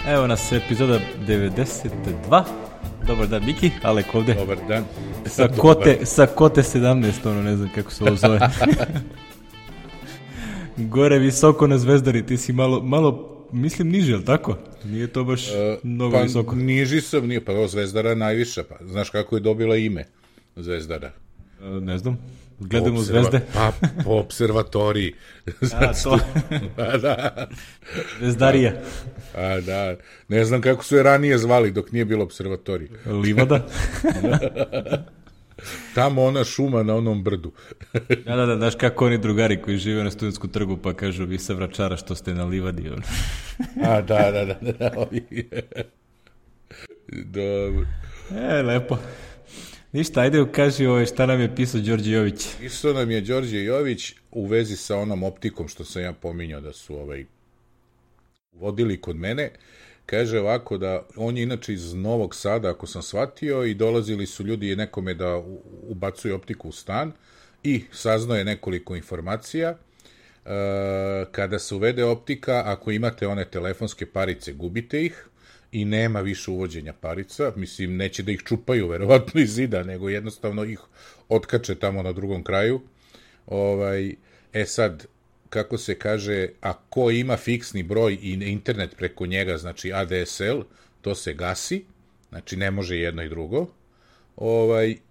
Evo nas epizoda 92. Dobar dan, Miki, Alek ovde. Dobar dan. Sa kote 17, ono ne znam kako se ovo zove. Gore visoko na Zvezdari, ti si malo mislim niže, ali tako? Nije to baš mnogo visoko. Niži sam, nije, pa ovo Zvezdara najviša, pa znaš kako je dobila ime Zvezdara? Ne znam, gledamo zvezde. Pa po observatoriji. A, to. Da. Zvezdarija. A, da, ne znam kako su je ranije zvali dok nije bilo observatorij. Livada. Tamo ona šuma na onom brdu. Da, znaš kako oni drugari koji žive na Studentskom trgu pa kažu vi sa Vračara što ste na livadi. A, da. Dobro. Lepo. Ništa, ajde kaži šta nam je pisao Đorđe Jović. Pisao nam je Đorđe Jović u vezi sa onom optikom što sam ja pominjao da su vodili kod mene. Kaže ovako da on je inače iz Novog Sada, ako sam shvatio, i dolazili su ljudi nekome da ubacuju optiku u stan i saznao je nekoliko informacija. Kada se uvede optika, ako imate one telefonske parice, gubite ih i nema više uvođenja parica. Mislim, neće da ih čupaju verovatno iz zida, nego jednostavno ih otkače tamo na drugom kraju. Sad, kako se kaže, ako ima fiksni broj i internet preko njega, znači ADSL, to se gasi, znači ne može jedno i drugo.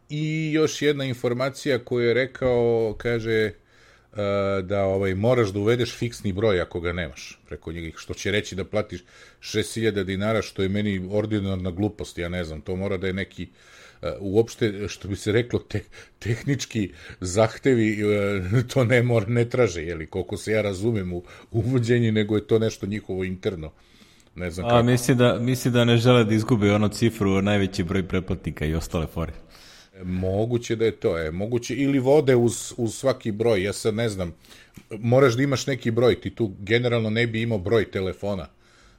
I još jedna informacija koju je rekao, kaže da moraš da uvedeš fiksni broj ako ga nemaš preko njega, što će reći da platiš 6.000 dinara, što je meni ordinarna glupost, ja ne znam, to mora da je neki uopšte, što bi se reklo, tehnički zahtevi, to ne traže, koliko se ja razumem u uvođenju, nego je to nešto njihovo interno. Ne znam kako. Misli da ne žele da izgube ono cifru, najveći broj pretplatnika i ostale fore. Moguće da je to, moguće, ili vode uz svaki broj, ja sad ne znam, moraš da imaš neki broj, ti tu generalno ne bi imao broj telefona,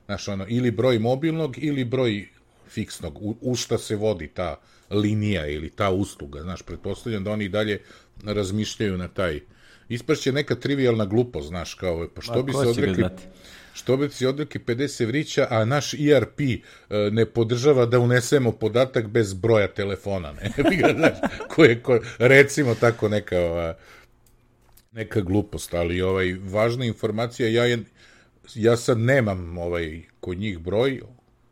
znaš, ili broj mobilnog, ili broj fiksnog, u šta se vodi ta linija ili ta usluga, znaš, pretpostavljam da oni dalje razmišljaju na taj, ispašće neka trivijalna glupost, znaš, kao, pa što bi se odrekli 50 evrića, a naš ERP ne podržava da unesemo podatak bez broja telefona, ne? Znaš, recimo tako neka glupost, ali važna informacija, ja sad nemam kod njih broj,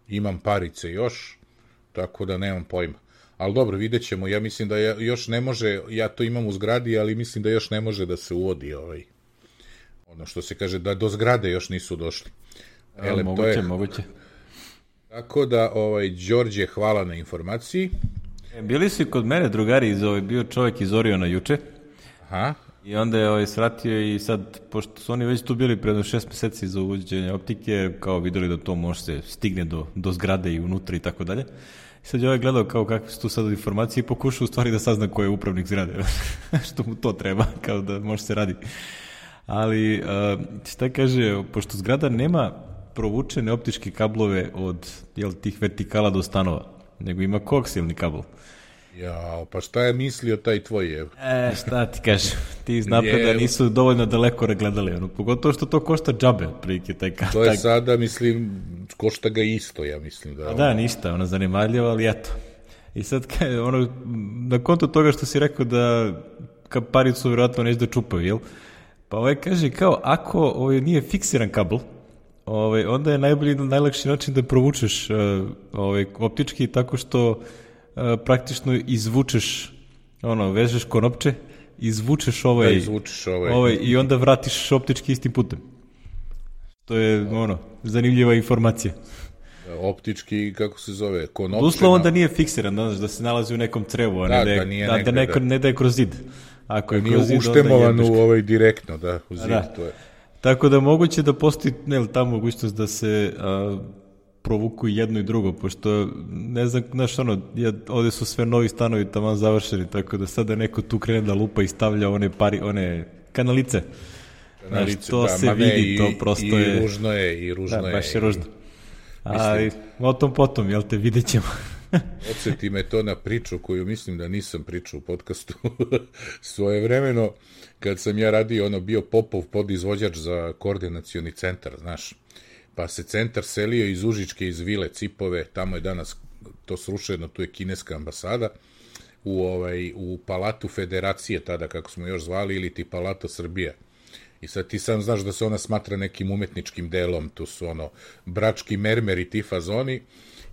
imam parice još, tako da nemam pojma. Ali dobro, vidjet ćemo, ja mislim da još ne može, ja to imam u zgradi, ali mislim da još ne može da se uvodi ono što se kaže, da do zgrade još nisu došli. Moguće. Tako da, Đorđe, hvala na informaciji. Bili su i kod mene drugari, bio čovjek iz Oriona juče. Aha. I onda je svratio i sad, pošto su oni već tu bili predno 6 meseci za uvođenje optike, kao videli da to može se stigne do zgrade i unutra i tako dalje. I sad je gledao kao kakve su tu sad informacije i pokušao u stvari da sazna ko je upravnik zgrade. Što mu to treba, kao da može se radi. Ali, šta kaže, pošto zgrada nema provučene optičke kablove od tih vertikala do stanova, nego ima koaksijalni kabel. Jao, pa šta je mislio taj tvoj? Šta ti kažeš, ti napred da nisu dovoljno daleko gledali, pogotovo što to košta džabe, prilike taj kabel. To je sada, mislim, košta ga isto, ja mislim. Da, ništa, zanemarljivo, ali eto. I sad, na konto toga što si rekao da paricu vjerojatno neće da čupaju, jel? Pa kaže kao, ako nije fiksiran kabel, onda je najlakši način da provučeš optički tako što praktično izvučeš, vežeš konopče, izvučeš i onda vratiš optički istim putem. To je, zanimljiva informacija. Optički, kako se zove, konopče. Uslovno da nije fiksiran, da se nalazi u nekom crevu, a ne da je kroz zid. Ako je nije uštemovan direktno, u zid, to je. Tako da moguće da postoji ta mogućnost da se provuku jedno i drugo, pošto ne znam, ovdje su sve novi stanovi taman završeni, tako da sada neko tu krene da lupa i stavlja one kanalice. To se vidi, to prosto je... I ružno je. Da, baš je ružno. Ali o tom potom, vidjet ćemo. Odsjeti me to na priču koju mislim da nisam pričao u podcastu. Svojevremeno, kad sam ja radio, bio Popov podizvođač za koordinacioni centar, znaš. pa se centar selio iz Užičke, iz Vile Cipove, tamo je danas to srušeno, tu je kineska ambasada, u Palatu Federacije, tada kako smo još zvali, ili ti Palato Srbija. I sad ti sam znaš da se ona smatra nekim umetničkim delom, tu su brački mermer i ti fazoni,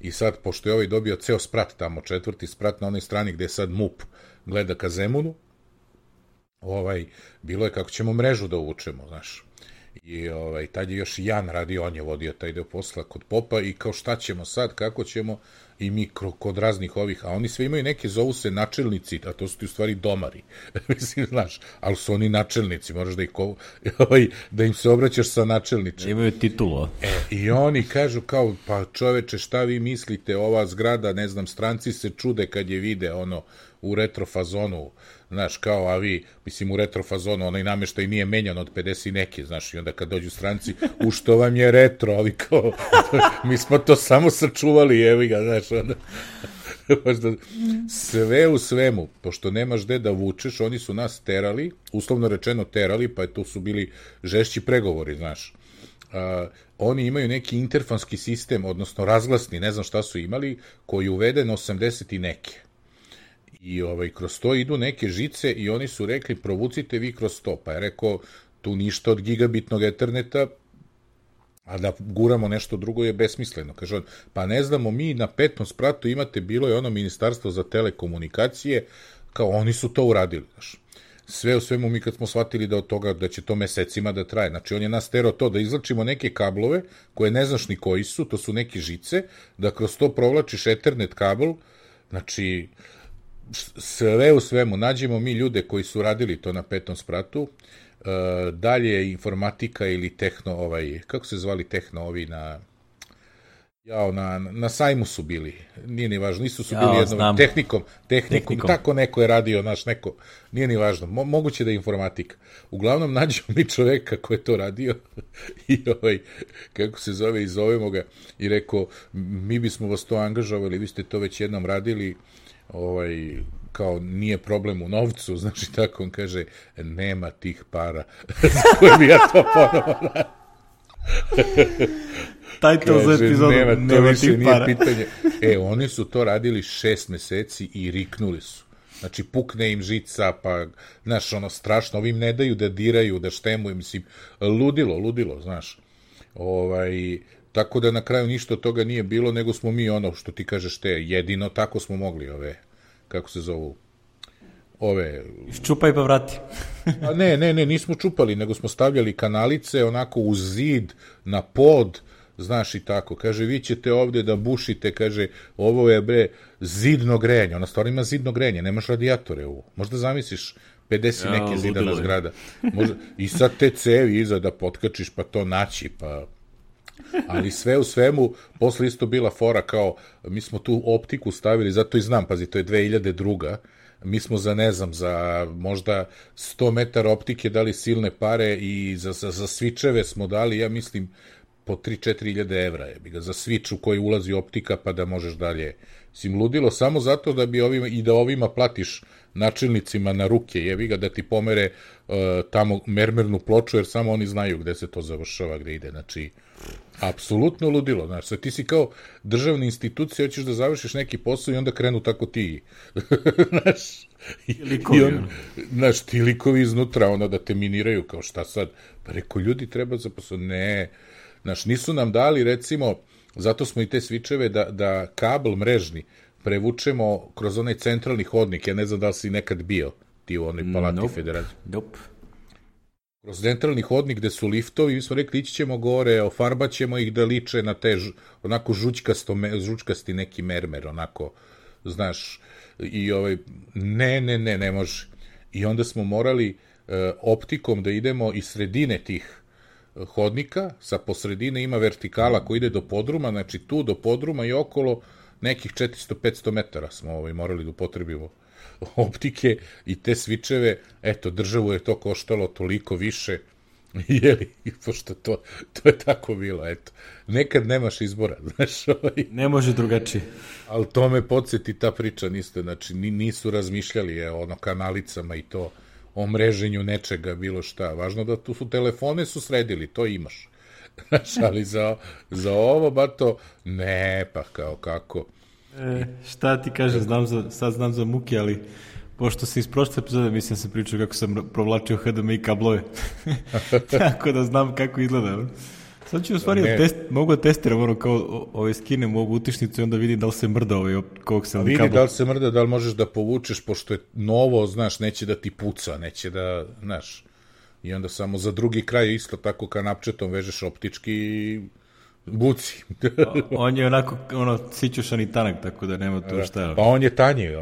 i sad, pošto je dobio ceo sprat tamo, 4. sprat na onoj strani gde je sad MUP gleda ka Zemunu, bilo je kako ćemo mrežu da uvučemo, znaš. I tad je još Jan radio, on je vodio taj deo posla kod popa i kao šta ćemo sad, kako ćemo, i mi kod raznih ovih, a oni sve imaju neke, zovu se načelnici, a to su ti u stvari domari, mislim, znaš, ali su oni načelnici, moraš da ih da im se obraćaš sa načelničem. Imaju titulu. I oni kažu kao, pa čoveče, šta vi mislite, ova zgrada, ne znam, stranci se čude kad je vide u retrofazonu, znaš, kao, a vi, mislim, u retrofazonu, onaj nameštaj nije menjan od 50 i neke, znaš, i onda kad dođu stranci, u što vam je retro, ali kao, mi smo to samo sačuvali, evi ga, znaš, onda, sve u svemu, pošto nemaš gde da vučeš, oni su nas terali, uslovno rečeno terali, pa to su bili žešći pregovori, znaš. Oni imaju neki interfonski sistem, odnosno razglasni, ne znam šta su imali, koji je uveden 80 i neke. I kroz to idu neke žice i oni su rekli provucite vi kroz to, pa je rekao tu ništa od gigabitnog eterneta, a da guramo nešto drugo je besmisleno. Kaže on, pa ne znamo, mi na 5. spratu imate, bilo je ministarstvo za telekomunikacije, kao oni su to uradili, znaš. Sve u svemu mi kad smo shvatili da od toga da će to mesecima da traje, znači on je nas terao to da izlačimo neke kablove koje ne znaš ni koji su, to su neke žice, da kroz to provlačiš ethernet kabel, znači sve u svemu, nađemo mi ljude koji su radili to na 5. spratu, dalje informatika ili tehno, kako se zvali tehno ovi na sajmu su bili, nije ni važno, nisu su bili jednom, tehnikom, tako neko je radio, naš neko, nije ni važno, moguće da je informatika. Uglavnom nađemo mi čoveka ko je to radio i kako se zove, i zovemo ga i rekao, mi bismo vas to angažovali, vi ste to već jednom radili, kao nije problem u novcu, znači tako on kaže, nema tih para za koje bi ja to ponovo Title za epizodu, nema tih para. Pitanje. Oni su to radili 6 meseci i riknuli su. Znači, pukne im žica, pa, znaš, strašno, ovim ne daju da diraju, da štemuju, mislim, ludilo, znaš. Tako da na kraju ništa od toga nije bilo, nego smo mi što ti kažeš jedino tako smo mogli kako se zovu, Ščupaj pa vrati. Ne, nismo čupali, nego smo stavljali kanalice onako uz zid, na pod, znaš i tako. Kaže, vi ćete ovde da bušite, kaže, ovo je zidno grejanje. Ona stvarno ima zidno grejanje, nemaš radijatore ovo. Možda zamisliš 50 neke zidana zgrada. I sad te cevi iza da potkačiš, pa to naći, pa... Ali sve u svemu, posle isto bila fora kao, mi smo tu optiku stavili, zato i znam, pazi, to je 2002. Mi smo za možda 100 metara optike dali silne pare i za svičeve smo dali, ja mislim, po 3-4 hiljade evra za svič u koji ulazi optika pa da možeš dalje. Sim ludilo samo zato da bi ovima platiš načelnicima na ruke, jebi ga, da ti pomere tamo mermernu ploču, jer samo oni znaju gde se to završava, gde ide, znači apsolutno ludilo, znači, sad ti si kao državna institucija, hoćeš da završiš neki posao i onda krenu tako ti, znaš, ti likovi iznutra, da te miniraju, kao šta sad, pa reko, ljudi treba za posao, ne, znaš, nisu nam dali, recimo, zato smo i te svičeve da kabel mrežni prevučemo kroz onaj centralni hodnik, ja ne znam da li si nekad bio ti u onoj Palati Federacije. Nope. Kroz centralni hodnik gde su liftovi, mi smo rekli, ići ćemo gore, ofarbat ćemo ih da liče na te onako žučkasti neki mermer, onako, znaš, i ne može. I onda smo morali optikom da idemo iz sredine tih hodnika, sa posredine ima vertikala koji ide do podruma, znači tu do podruma i okolo nekih 400-500 metara smo morali da upotrebimo optike i te svičeve, eto, državu je to koštalo toliko više, jeli, pošto to je tako bilo, eto. Nekad nemaš izbora, znaš, ne može drugačije. Ali to me podsjeti ta priča, znači, nisu razmišljali kanalicama i to, o mreženju nečega, bilo šta. Važno da tu telefone su sredili, to imaš. Znaš, ali za ovo, bato, ne, pa kao kako. Šta ti kažem, sad znam za muke, ali pošto se iz prošle epizode, mislim sam pričao kako sam provlačio HDMI kablove. Tako da znam kako izgleda. Sad ću u stvari mogu da testiram ono kao skinem ovu utišnicu i onda vidim da li se mrda koaksijalni kabel. Vidi da li se mrda, da li možeš da povučeš, pošto je novo, znaš, neće da ti puca, neće da, znaš, i onda samo za drugi kraj isto tako kanapčetom vežeš optički i buci. On je onako, sićušan i tanak, tako da nema tu šta. Pa on je tanji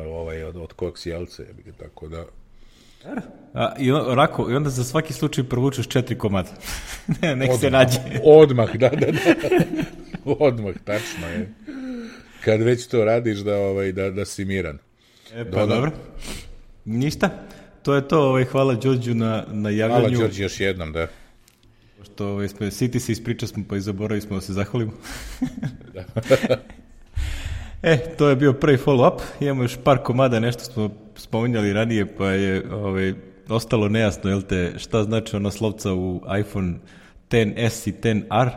od koaksijalce, tako da... I onda za svaki slučaj provučeš 4 komada. Nek se nađe. Odmah, da. Odmah, tačno je. Kad već to radiš da si miran. Pa dobro. Ništa. To je to. Hvala Đorđu na javljanju. Hvala Đorđu još jednom, da. Pošto siti se ispriča smo, pa i zaboravili smo da se zahvalimo. Da. To je bio prvi follow-up. Imamo još par komada, nešto smo spominjali ranije, pa je ostalo nejasno, jel te, šta znači ona slovca u iPhone XS i XR,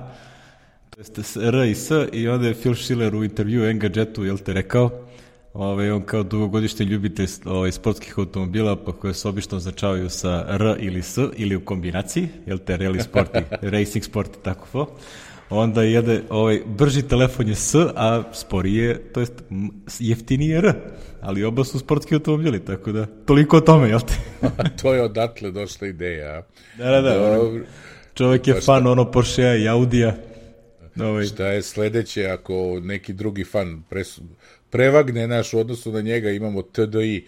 to jest R i S, i onda je Phil Schiller u intervju Engadgetu, jel te, rekao, on kao dugogodišnji ljubitelj sportskih automobila, pa koje se obično označavaju sa R ili S, ili u kombinaciji, jel te, rally sport i racing sport i tako. Onda brži telefon je S, a sporiji je, to jest jeftiniji je R, ali oba su sportski automobili, tako da toliko o tome, jel te? To je odatle došla ideja. Da. Čovjek je fan Porschea i Audija. Šta je sledeće ako neki drugi fan prevagne naš u odnosu na njega, imamo TDI.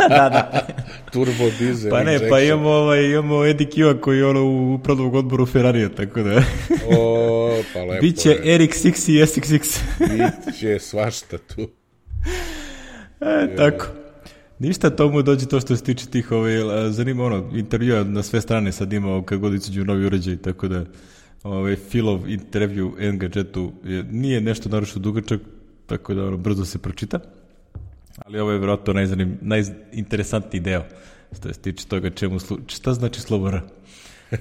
Da. Turbo diesel pa ne, injection. Pa imamo Eddie Q-a koji je u upravnom odboru Ferrarija, tako da... Pa lepo. Biće RX-X i SX-X. Biće svašta tu. Tako. Ništa, tomu dođe to što se tiče tih zanima intervjua na sve strane sad ima kad god izađu novi uređaj, tako da Philov intervju Engadgetu nije nešto naročito dugačak, tako da brzo se pročita, ali ovo je vjerojatno najinteresantniji deo što se tiče toga šta znači slovo R.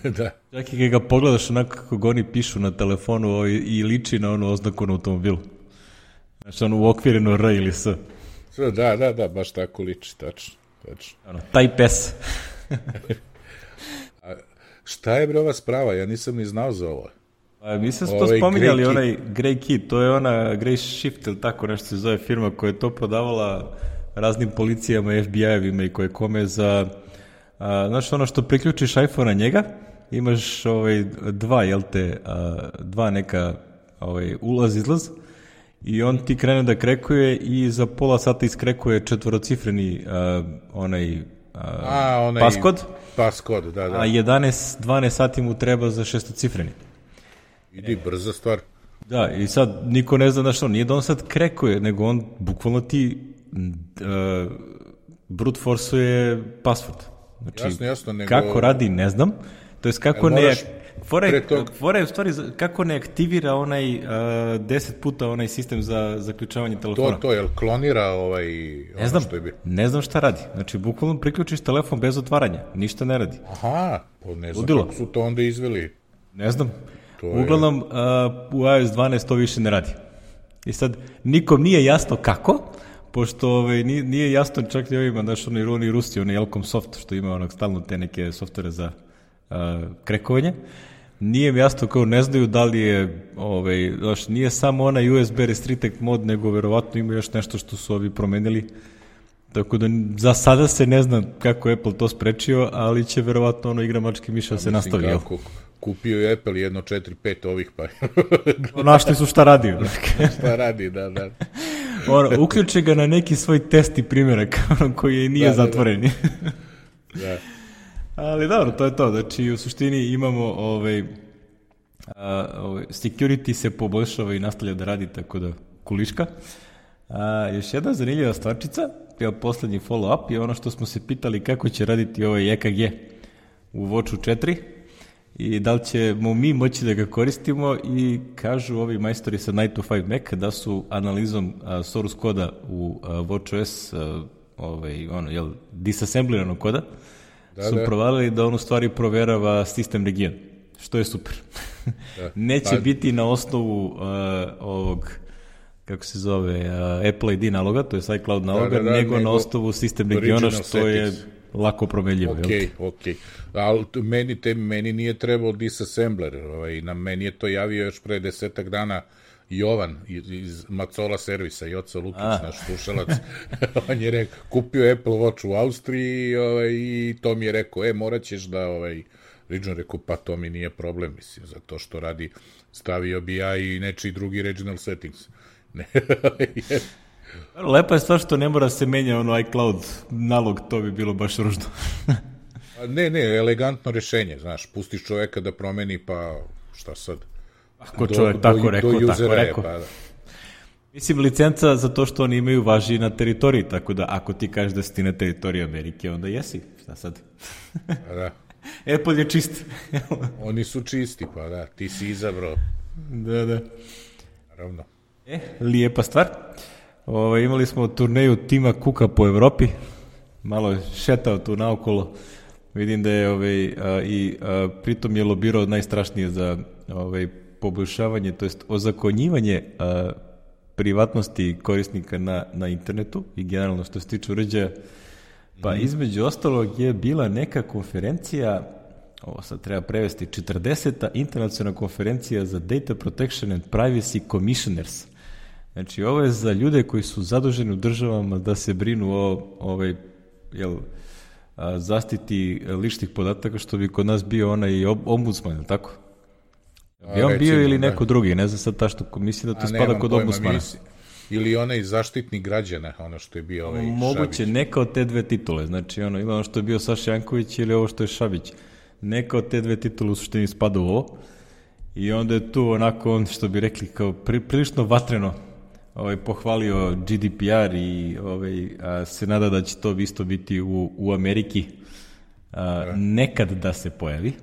Da. Čak i kad ga pogledaš onako kako ga oni pišu na telefonu i liči na onu oznaku na automobilu. Znači uokvireno R ili S. Da, baš tako liči, tačno. Type S. Šta je ova sprava? Ja nisam ni znao za ovo. Mi smo to spominjali, onaj Grey Key, to je ona Grey Shift ili tako nešto se zove firma koja je to prodavala raznim policijama, FBI-evima i koje kome za, znači ono što priključiš iPhone na njega, imaš dva neka ulaz-izlaz i on ti krene da krekuje i za pola sata iskrekuje četvorocifreni Paskod, da. A 12 sati mu treba za šestocifreni. Idi, brza stvar. Da, i sad niko ne zna što, nije da on sad krekuje, nego on bukvalno ti brute forceuje password. Znači, jasno, nego... kako radi, ne znam. To jest kako fora je u stvari kako ne aktivira onaj 10 puta onaj sistem za zaključavanje telefona. To je klonira ne znam, što je bio. Ne znam šta radi. Znači, bukvalno priključiš telefon bez otvaranja. Ništa ne radi. Aha, ne znam kako su to onda izveli. Ne znam. Uglavnom, u iOS 12 to više ne radi. I sad, nikom nije jasno kako, pošto nije jasno čak i ovima, znaš, oni Rusi, oni Elcom Soft, što ima stalno te neke softvere za krekovanje. Nije mi jasno kao ne znaju da li je, znaš, nije samo onaj USB restricted mod, nego verovatno ima još nešto što su ovi promenili. Tako da za sada se ne zna kako Apple to sprečio, ali će verovatno igra mačke miša se nastavi. Kupio je Apple 1.4.5 ovih pa. Našli su šta radi. Šta radi, da. Uključe ga na neki svoj test i primjerak koji nije zatvoren. Da. Ali dobro, to je to. Znači, u suštini imamo security se poboljšava i nastavlja da radi, tako da kuliška. Još jedna zanimljiva stvarčica, poslednji follow-up je ono što smo se pitali kako će raditi ovaj EKG u Watchu 4 i da li ćemo mi moći da ga koristimo i kažu ovi majstori sa 9 to 5 Mac da su analizom source koda u WatchOS disassembliranog koda su provalili da on u stvari proverava sistem region, što je super. Neće biti na osnovu ovog, kako se zove, Apple ID naloga, to je iCloud naloga, nego na osnovu sistem regiona, što je lako promenljivo. Ok. Ali meni nije trebao disassembler. Na meni je to javio još pre 10 dana Jovan iz Macola servisa, Joca Lukić, naš slušalac. On je rekao, kupio Apple Watch u Austriji i to mi je rekao, morat ćeš da regional, rekao, pa to mi nije problem, mislim, zato što radi, stavio bi ja i nečiji drugi regional settings. Lepa je stvar što ne mora se menja iCloud nalog, to bi bilo baš ružno. Ne, elegantno rešenje, znaš, pustiš čoveka da promeni, pa šta sad? Ako čovjek tako rekao. Pa, da. Mislim, licenca za to što oni imaju važi na teritoriji, tako da ako ti kažeš da si ti na teritoriji Amerike, onda jesi, šta sad? Da. Apple je čist. Oni su čisti, pa da, ti si izabrao. Da. Naravno. Lijepa stvar. Imali smo turneju Tima Cooka po Evropi, malo je šetao tu naokolo, vidim da je pritom je lobirao najstrašnije za poboljšavanje, to jest ozakonjivanje privatnosti korisnika na internetu i generalno što se tiče uređaja. Pa između ostalog je bila neka konferencija, ovo sad treba prevesti, 40. internacionalna konferencija za Data Protection and Privacy Commissioners. Znači, ovo je za ljude koji su zaduženi u državama da se brinu o zaštiti ličnih podataka, što bi kod nas bio onaj ombudsman, ili tako? Bi on bio ili neko drugi, ne znam sad ta što mislim da to spada kod ombudsmana. Ili onaj zaštitnik građana, ono što je bio moguće, Šabić. neka od te dve titule, znači ili ono što je bio Saša Janković ili ovo što je Šabić. Neka od te dve titule u suštini spada u ovo. I onda je tu onako, on što bi rekli, kao prilično vatreno pohvalio GDPR i se nada da će to isto biti u Ameriki nekad da se pojavi.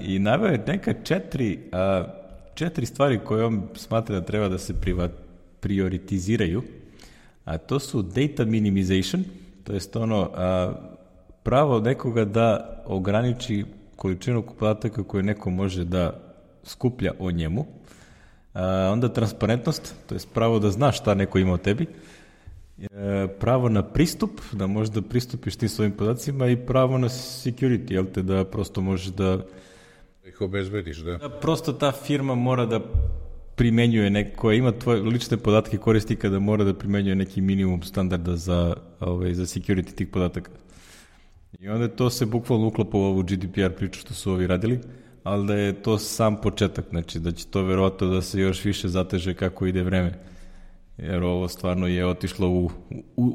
I naveo je neka četiri stvari koje on smatra da treba da se prioritiziraju, a to su data minimization, to jest pravo nekoga da ograniči količinu podataka koje neko može da skuplja o njemu, onda transparentnost, to jest pravo da znaš šta neko ima o tebi, pravo na pristup, da možeš da pristupiš tim svojim podacima i pravo na security, da prosto možeš da ih obezbediš, da prosto ta firma mora da primenjuje koja ima tvoje lične podatke korisnika, da mora da primenjuje neki minimum standarda za security tih podataka. I onda to se bukvalno uklapa u ovu GDPR priču što su ovi radili, ali da je to sam početak, znači da će to verovatno da se još više zateže kako ide vreme. Jer ovo stvarno je otišlo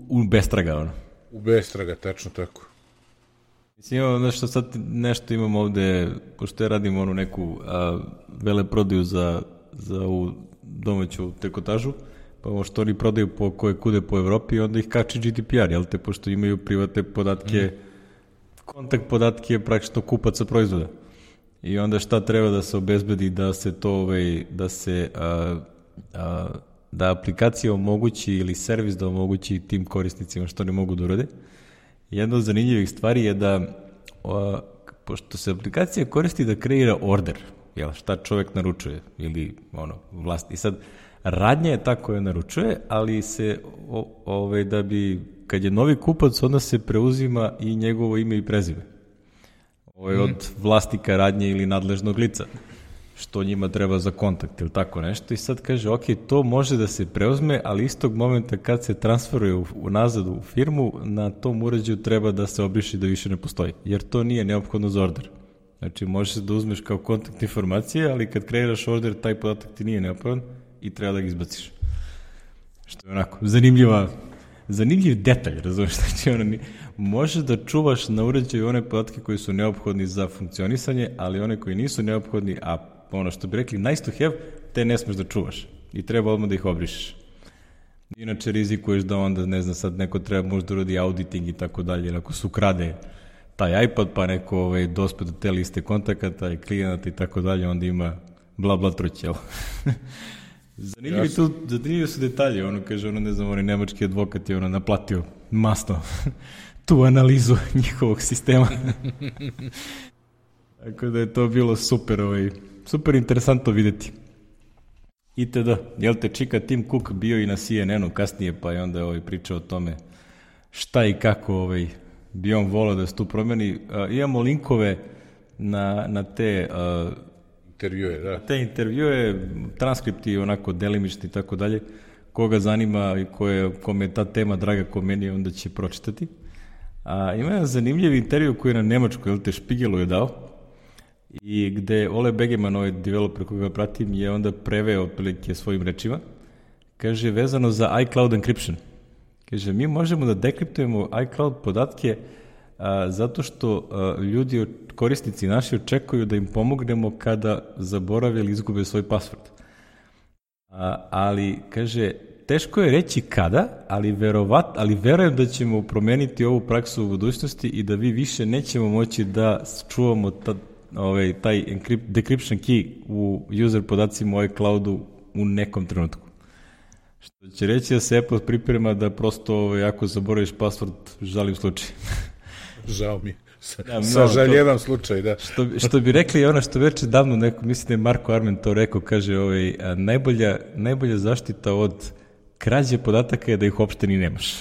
u bestraga. U bestraga, tačno tako. Mislim, nešto imamo ovde, pošto ja radim neku veleprodaju za ovu domaću trikotažu, pa ovo što oni prodaju koje kude po Evropi, onda ih kači GDPR, jel te, pošto imaju privatne podatke, kontakt podatke praktično kupaca proizvoda. I onda šta treba da se obezbedi da se to, da aplikacija omogući ili servis da omogući tim korisnicima što ne mogu da urade. Jedna od zanimljivih stvari je da, pošto se aplikacija koristi da kreira order, šta čovjek naručuje ili vlast. I sad, radnja je ta koja naručuje, ali se, da bi, kad je novi kupac, onda se preuzima i njegovo ime i prezime. Od vlasnika radnje ili nadležnog lica, što njima treba za kontakt ili tako nešto. I sad kaže, ok, to može da se preuzme, ali istog momenta kad se transferuje nazad u firmu, na tom uređaju treba da se obriši da više ne postoji, jer to nije neophodno za order. Znači, možeš da uzmeš kao kontakt informacije, ali kad kreiraš order, taj podatak ti nije neophodan i treba da ga izbaciš. Što je onako zanimljiv detalj, razumiješ, znači možeš da čuvaš na uređaju one podatke koji su neophodni za funkcionisanje, ali one koji nisu neophodni, a što bi rekli nice to have, te ne smeš da čuvaš i treba odmah da ih obrišeš. Inače rizikuješ da onda, ne znam, sad neko treba možda uradi auditing i tako dalje, jer ako se ukrade taj iPad, pa neko dospe do te liste kontakata i klijenata i tako dalje, onda ima bla truć, jel? Zanimljivi su detalje, kaže, ne znam, nemački advokat je naplatio masno tu analizu njihovog sistema. Tako da je to bilo super, super interesantno videti. Itd. Jel te čika Tim Cook bio i na CNN-u kasnije, pa je onda pričao o tome šta i kako bi on volao da se tu promeni. Imamo linkove na te intervjue, da. Te intervjue, transkripti onako delimični i tako dalje. Koga zanima i kome je ta tema draga ko meni, onda će pročitati. Ima jedan zanimljiv intervju koji je na nemačkoj, te Spiegelu je dao, i gde Ole Begeman, developer koga pratim, je onda preveo otprilike svojim rečima. Kaže, vezano za iCloud encryption. Kaže, mi možemo da dekriptujemo iCloud podatke zato što ljudi, korisnici naši, očekuju da im pomognemo kada zaborave ili izgube svoj password. Ali, kaže, teško je reći kada, ali verujem da ćemo promeniti ovu praksu u budućnosti i da vi više nećemo moći da čuvamo taj decryption key u user podacima u iCloudu u nekom trenutku. Što će reći da se Apple priprema da prosto ako zaboraviš password, žalim slučaj. Žao mi. Sažaljevam slučaj, da. Što bi rekli ono što već davno neko, mislim da je Marko Armen to rekao, kaže najbolja zaštita od krađe podataka je da ih uopšte ni nemaš.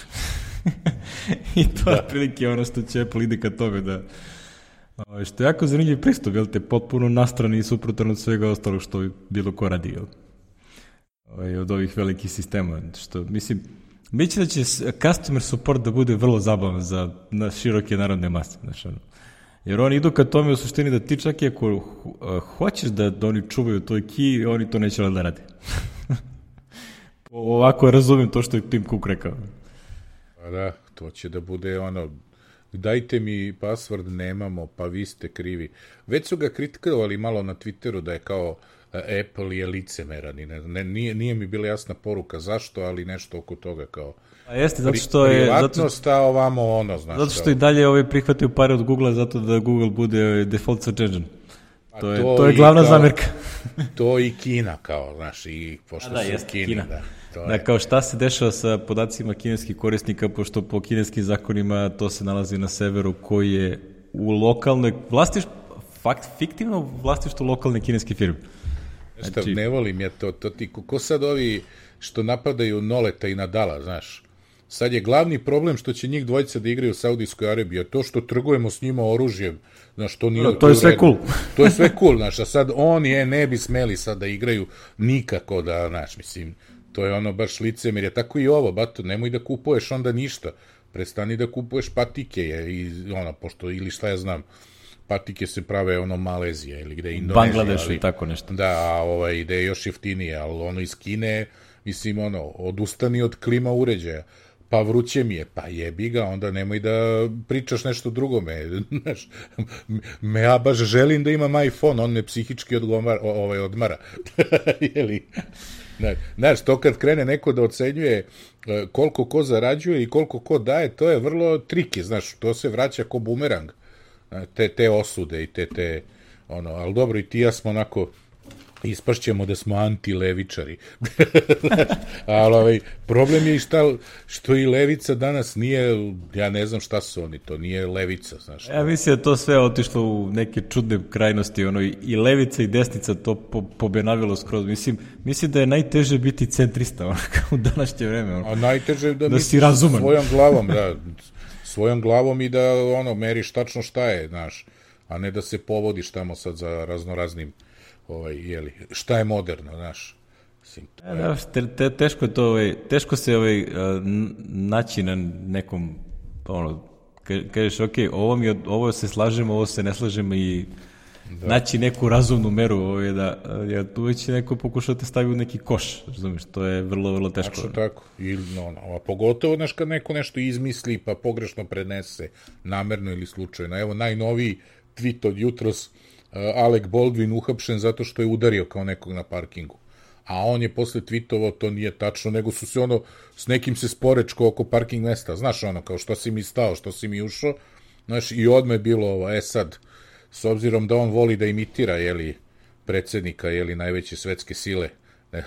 I to je prilike ono što će Apple ide ka tome da što je jako zanimljiv pristup, jel te, potpuno nastrani i suprotan od svega ostalog što bilo ko radi, jel? Od ovih velikih sistema, što, mislim, mislim da će customer support da bude vrlo zabavan na široke narodne mase, znaš, ono. Jer oni idu ka tome u suštini da ti čak i ako hoćeš da oni čuvaju toj key, oni to neće da rade. Ovako razumijem to što je Tim Cook rekao. Pa da, to će da bude ono, dajte mi password, nemamo, pa vi ste krivi. Već su ga kritikovali malo na Twitteru da je kao Apple je licemeran i nije mi bila jasna poruka zašto, ali nešto oko toga kao a jeste, zato što je privatnost, a ovamo ono, znaš. Zato što i dalje prihvataju pare od Google zato da Google bude default search engine. To je glavna zamjerka. To i Kina kao, znaš, i pošto da, su Kina. Da, kao šta se dešava sa podacima kineskih korisnika, pošto po kineskim zakonima to se nalazi na severu koji je u lokalnoj fiktivno vlastištvu lokalne kineske firme. Znači, ne volim ja to ti, ko sad ovi što napadaju Noleta i Nadala, znaš, sad je glavni problem što će njih dvojica da igraju u Saudijskoj Arabiji, a to što trgujemo s njima oružjem, znaš, to nije... to je sve cool. To je sve cool, znaš, a sad oni ne bi smeli sad da igraju nikako da, znaš, mislim, to je ono baš licemir, je tako i ovo, bato, nemoj da kupuješ onda ništa, prestani da kupuješ patike, i ono, pošto, ili šta ja znam, patike se prave ono Malezija ili gde Indonezija. Bangladešu i tako nešto. Da, ide je još jeftinije, ali ono iz Kine, mislim, ono, odustani od klima uređaja. Pa vruće mi je, pa jebi ga, onda nemoj da pričaš nešto drugome. Znaš, ja baš želim da imam iPhone, on me psihički odmara. Jeli? Znaš, to kad krene neko da ocenjuje koliko ko zarađuje i koliko ko daje, to je vrlo triki, znaš, to se vraća ko bumerang. Te osude i te ono, ali dobro, i ti ja smo onako ispašćemo da smo anti-levičari. Ali problem je i što i levica danas nije, ja ne znam šta su oni, to nije levica, znaš. Ja mislim da to sve otišlo u neke čudne krajnosti, ono, i levica i desnica to pobenavilo skroz. Mislim da je najteže biti centrista, ono, u današnje vreme. Ono, a najteže da si razuman. Svojom glavom, da, svojom glavom i da, ono, meriš tačno šta je, znaš, a ne da se povodiš tamo sad za raznoraznim šta je moderno, znaš. Teško je to, teško se naći na nekom, ono, kažeš, ok, ovo se slažemo, ovo se ne slažemo i naći neku razumnu meru, da tu već neko pokušao te stavi u neki koš, razumiješ, to je vrlo, vrlo teško. Znači, tako, a pogotovo, znaš, kad neko nešto izmisli pa pogrešno prenese, namerno ili slučajno. Evo, najnoviji tweet od jutros, Alec Baldwin uhapšen zato što je udario kao nekog na parkingu. A on je posle tweetovao, to nije tačno, nego su se ono, s nekim se sporečko oko parking mesta. Znaš, ono, kao što si mi stao, što si mi ušao. Znaš, i odmah je bilo ovo, sad, s obzirom da on voli da imitira, predsjednika, najveće svetske sile,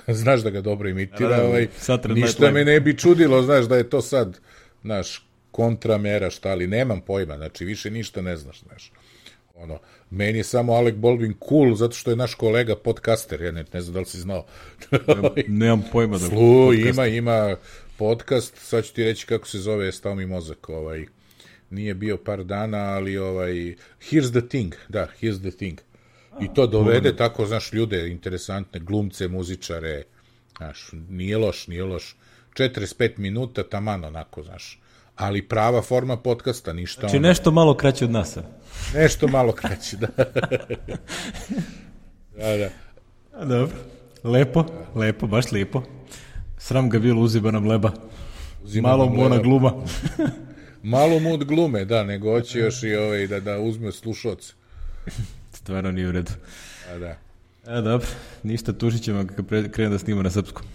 znaš da ga dobro imitira, ništa me ne bi čudilo, znaš, da je to sad, znaš, kontramera, šta, ali nemam pojma, znači, više ništa ne znaš, Ono, meni je samo Alec Baldwin cool zato što je naš kolega podcaster, ja ne znam da li si znao. Nemam pojma da ima podcast, sad ću ti reći kako se zove, stao mi mozak, nije bio par dana, ali Here's the Thing, da, Here's the Thing. I to dovede tako, znaš, ljude interesantne, glumce, muzičare, znaš, nije loš. 45 minuta, taman onako, znaš. Ali prava forma podcasta, ništa. Znači nešto malo kraće od nas. Nešto malo kraće, da. Da. Dobro. Lepo, baš lepo. Sram ga bilo, uziba nam leba. Malo mu ona gluma. Malo mu od glume, da, nego hoće još i da uzme slušalce. Stvarno nije u redu. Da. Dobro, ništa, tužit ćemo kad krene da snima na srpskom.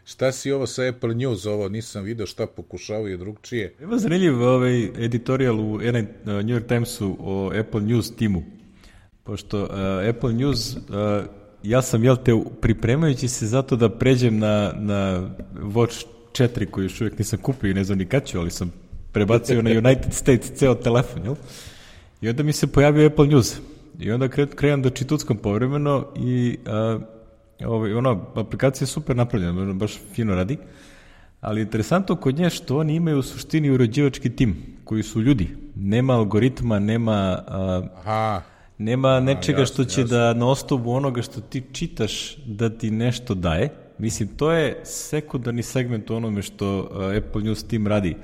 Šta si ovo sa Apple News, ovo nisam video šta pokušavaju drugčije. Evo zanimljiv editorial u New York Timesu o Apple News timu. Pošto Apple News, ja sam, pripremajući se zato da pređem na Watch 4 koji još uvijek nisam kupio i ne znam ni kad ću, ali sam prebacio na United States ceo telefon, jel? I onda mi se pojavio Apple News. I onda krenem da čituckam povremeno i aplikacija je super napravljena, baš fino radi, ali interesantno kod nje što oni imaju u suštini uređivački tim, koji su ljudi. Nema algoritma, nema nečega što će da na osnovu onoga što ti čitaš da ti nešto daje. Mislim, to je sekundarni segment onome što Apple News tim radi.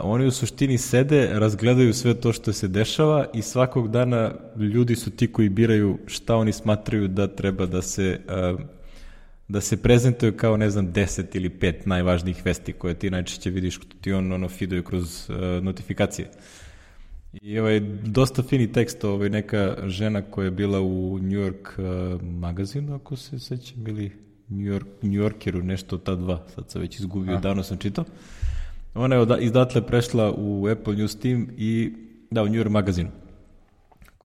Oni u suštini sede, razgledaju sve to što se dešava i svakog dana ljudi su ti koji biraju šta oni smatraju da treba da se prezentuju kao, ne znam, 10 ili 5 najvažnijih vesti koje ti najčešće vidiš što ti on feeduje kroz notifikacije. I dosta fini tekst, neka žena koja je bila u New York magazinu, ako se sećam, ili New Yorkeru, nešto ta dva, sad sam već izgubio, davno sam čitao. Ona je izdatle prešla u Apple News team i u New York magazinu.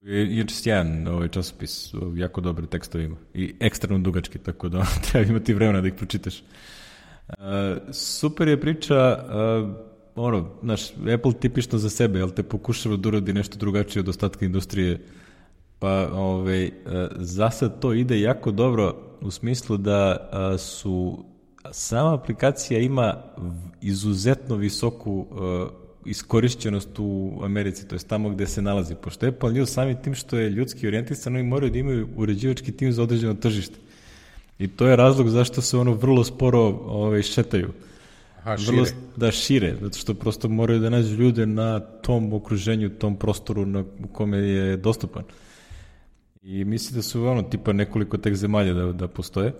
Je sjajan časopis, jako dobre tekstove ima i ekstremno dugački, tako da treba imati vremena da ih pročitaš. Super je priča, Apple tipično za sebe, jel te pokušava da uradi nešto drugačije od ostatka industrije, pa za sad to ide jako dobro u smislu da sama aplikacija ima izuzetno visoku iskorišćenost u Americi, to je tamo gde se nalazi. Pošto Apple News sami tim što je ljudski orijentisan, oni moraju da imaju uređivački tim za određeno tržište. I to je razlog zašto se vrlo sporo šetaju. Šire, zato što prosto moraju da nađu ljude na tom okruženju, tom prostoru u kome je dostupan. I mislim da su tipa nekoliko tek zemalja da postoje.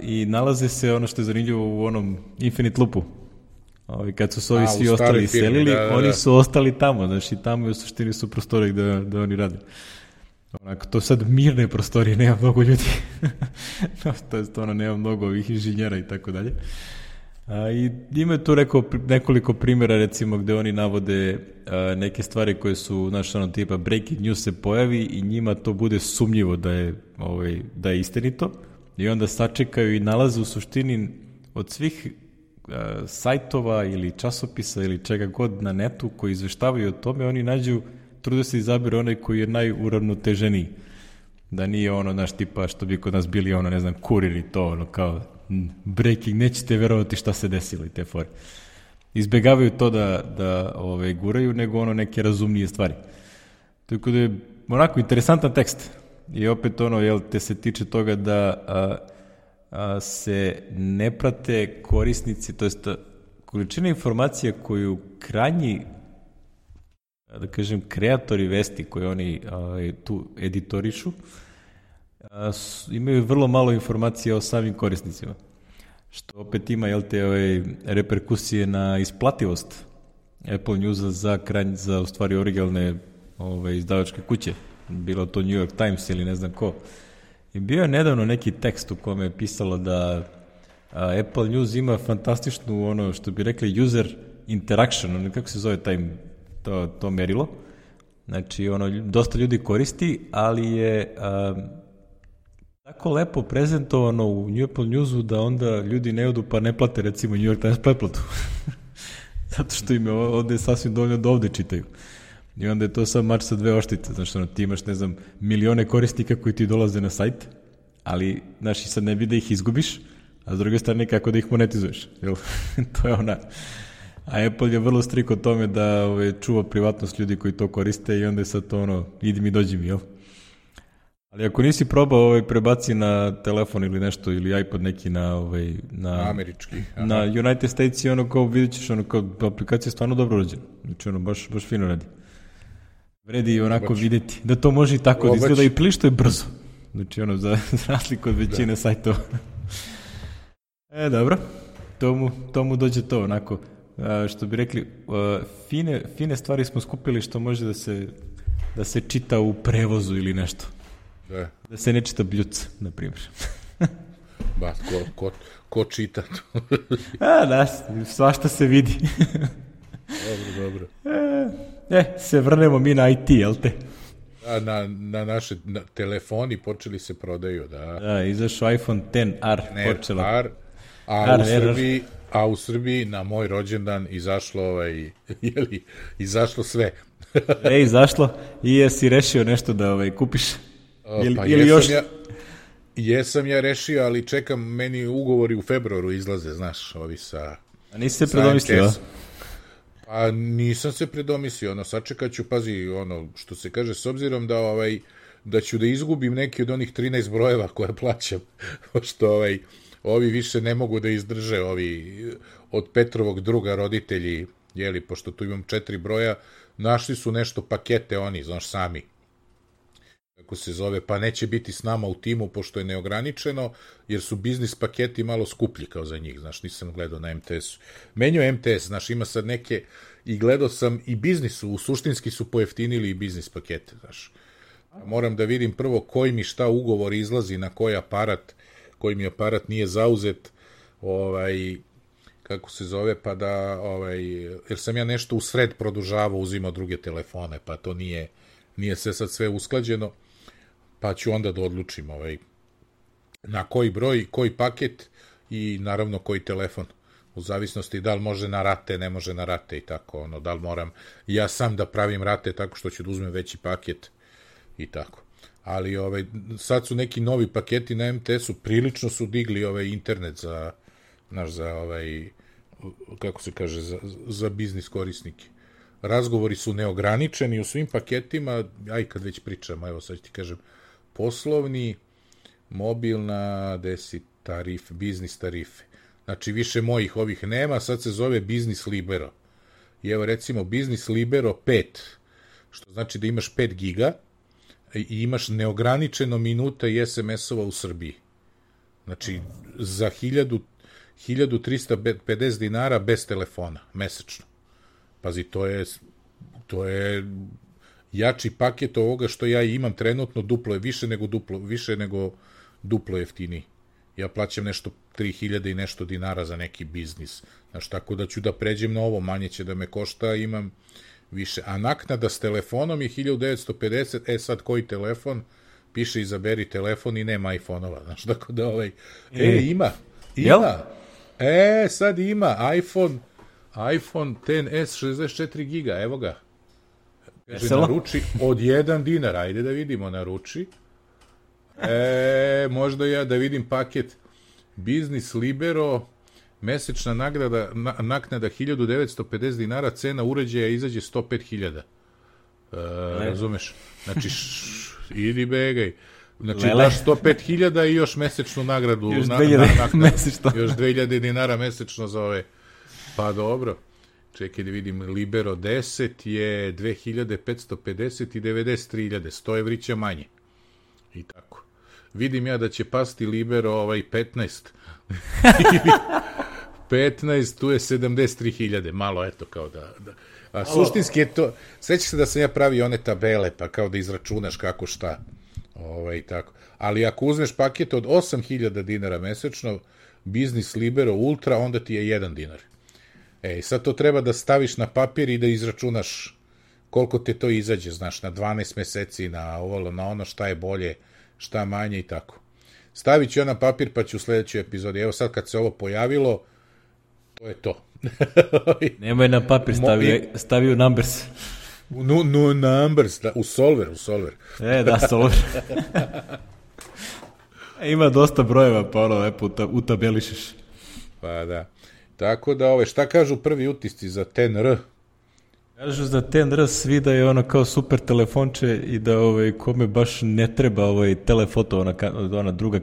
I nalaze se, ono što je zanimljivo, u onom Infinite Loopu. Kad su se ovi svi ostali iselili, oni su ostali tamo, znači tamo u suštini su prostori da oni rade. Onako, to sad mirne prostorije, nema mnogo ljudi. To je stvarno, nema mnogo ovih inženjera i tako dalje. I ima tu nekoliko primjera, recimo, gde oni navode neke stvari koje su, tipa breaking news se pojavi i njima to bude sumnjivo da je istinito. I onda sačekaju i nalaze u suštini od svih sajtova ili časopisa ili čega god na netu koji izveštavaju o tome, oni trude se izabiru onaj koji je najuravnoteženiji. Da nije tipa što bi kod nas bili ne znam, kurir i to, kao breaking, nećete verovati šta se desilo i te fore. Izbegavaju to da guraju, nego neke razumnije stvari. Tako da je interesantan tekst. I opet te se tiče toga da se ne prate korisnici, to jest količina informacija koju krajnji, da kažem, kreatori vesti koje oni tu editorišu, imaju vrlo malo informacija o samim korisnicima. Što opet ima reperkusije na isplativost Apple Newsa za u stvari originalne izdavačke kuće. Bilo to New York Times ili ne znam ko. I bio je nedavno neki tekst u kome je pisalo da Apple News ima fantastičnu, što bi rekli, user interaction, kako se zove to merilo. Znači, dosta ljudi koristi, ali je tako lepo prezentovano u New Apple Newsu da onda ljudi ne odu pa ne plate, recimo, New York Times pretplatu. Zato što im je ovde sasvim dovoljno da ovde čitaju. I onda je to sad mač sa dve oštice, znači ti imaš, ne znam, milione korisnika koji ti dolaze na sajt, ali, znaš, i sad ne bi da ih izgubiš, a s druge strane kako da ih monetizuješ, jel? To je ona. A Apple je vrlo strik o tome da čuva privatnost ljudi koji to koriste i onda je sad to idi mi, dođi mi, jel? Ali ako nisi probao prebaci na telefon ili nešto, ili iPod neki na američki. Aha. Na United States i kao vidjet ćeš, kao aplikacija je stvarno dobro rođena. Znači baš fino radi. Vredi onako vidjeti da to može i tako da izgleda i prilično je brzo. Znači za razliku od većine sajtova. Dobro. To mu dođe to onako. Što bi rekli, fine stvari smo skupili što može da se čita u prevozu ili nešto. Da se ne čita bljuc, na primjer. Ba, ko čita to? Da, svašta se vidi. Dobro. Se vrnemo mi na IT, jel te? Na naše telefoni počeli se prodaju, da. Da, izašao iPhone XR, počelo. A u Srbiji na moj rođendan izašlo sve. Izašlo i jesi rešio nešto da kupiš? Jesam ja rešio, ali čekam, meni ugovori u februaru izlaze, znaš, ovi sa... A nisi se predomislio? A nisam se predomislio, sačekat ću, pazi, što se kaže, s obzirom da ću da izgubim neki od onih 13 brojeva koje plaćam, pošto ovi više ne mogu da izdrže, ovi od Petrovog druga roditelji, pošto tu imam 4 broja, našli su nešto pakete oni, znaš, sami. Kako se zove, pa neće biti s nama u timu, pošto je neograničeno, jer su biznis paketi malo skuplji kao za njih, znaš, nisam gledao na MTS-u. Menio MTS, znaš, ima sad neke, i gledao sam i biznisu, u suštinski su pojeftinili i biznis pakete, znaš. Moram da vidim prvo koji mi šta ugovor izlazi, na koji mi aparat nije zauzet, kako se zove, pa da, jer sam ja nešto u sred produžavao, uzimao druge telefone, pa to nije sve usklađeno, pa ću onda da odlučim na koji broj, koji paket i naravno koji telefon, u zavisnosti da li može na rate, ne može na rate i tako, da li moram ja sam da pravim rate tako što ću da uzmem veći paket i tako. Ali sad su neki novi paketi na MTS-u, prilično su digli internet za kako se kaže, za biznis korisnike. Razgovori su neograničeni u svim paketima, kad već pričamo, evo sad ti kažem, poslovni, mobilna, biznis tarife. Znači, više mojih ovih nema, sad se zove Biznis Libero. I evo, recimo, Biznis Libero 5, što znači da imaš 5 giga i imaš neograničeno minuta i SMS-ova u Srbiji. Znači, za 1350 dinara bez telefona, mesečno. Pazi, to je jači paket ovoga što ja imam trenutno, duplo je više nego duplo jeftiniji. Ja plaćam nešto 3000 i nešto dinara za neki biznis. Znaš, tako da ću da pređem na ovo, manje će da me košta, imam više. A naknada s telefonom je 1950, sad koji telefon? Piše izaberi telefon i nema iPhone-ova, znaš, tako da ima. Sad ima iPhone XS 64 giga, evo ga. Kaže, naruči od 1 dinar, ajde da vidimo, naruči. Možda ja da vidim paket Biznis Libero, mesečna naknada 1950 dinara, cena uređaja izađe 105.000. Razumeš? Znači, idi begaj. Znači, daš 105.000 i još mesečnu nagradu. Još 2000 mesečno. Još 2000 dinara mesečno za ove. Pa dobro. Čekaj da vidim, Libero 10 je 2550 i 93.000, 100 evrića manje. I tako. Vidim ja da će pasti Libero 15. 15, tu je 73.000, malo eto kao da... A suštinski je to, sećaš se da sam ja pravio one tabele, pa kao da izračunaš kako šta. Tako. Ali ako uzmeš paket od 8.000 dinara mesečno, Biznis Libero Ultra, onda ti je 1 dinar. Sad to treba da staviš na papir i da izračunaš koliko te to izađe, znaš, na 12 meseci, na ovo, na ono, šta je bolje, šta manje i tako. Stavit ću ja na papir, pa ću u sledećoj epizodi. Evo sad kad se ovo pojavilo, to je to. Nemoj na papir, stavi u numbers. No numbers, da, u Solver. Da, Solver. Ima dosta brojeva, pa ono, lepo utabelišeš. Pa da. Tako da, šta kažu prvi utisci za 10R? Kažu za 10R svi da je ono kao super telefonče i da kome baš ne treba telefoto, ona druga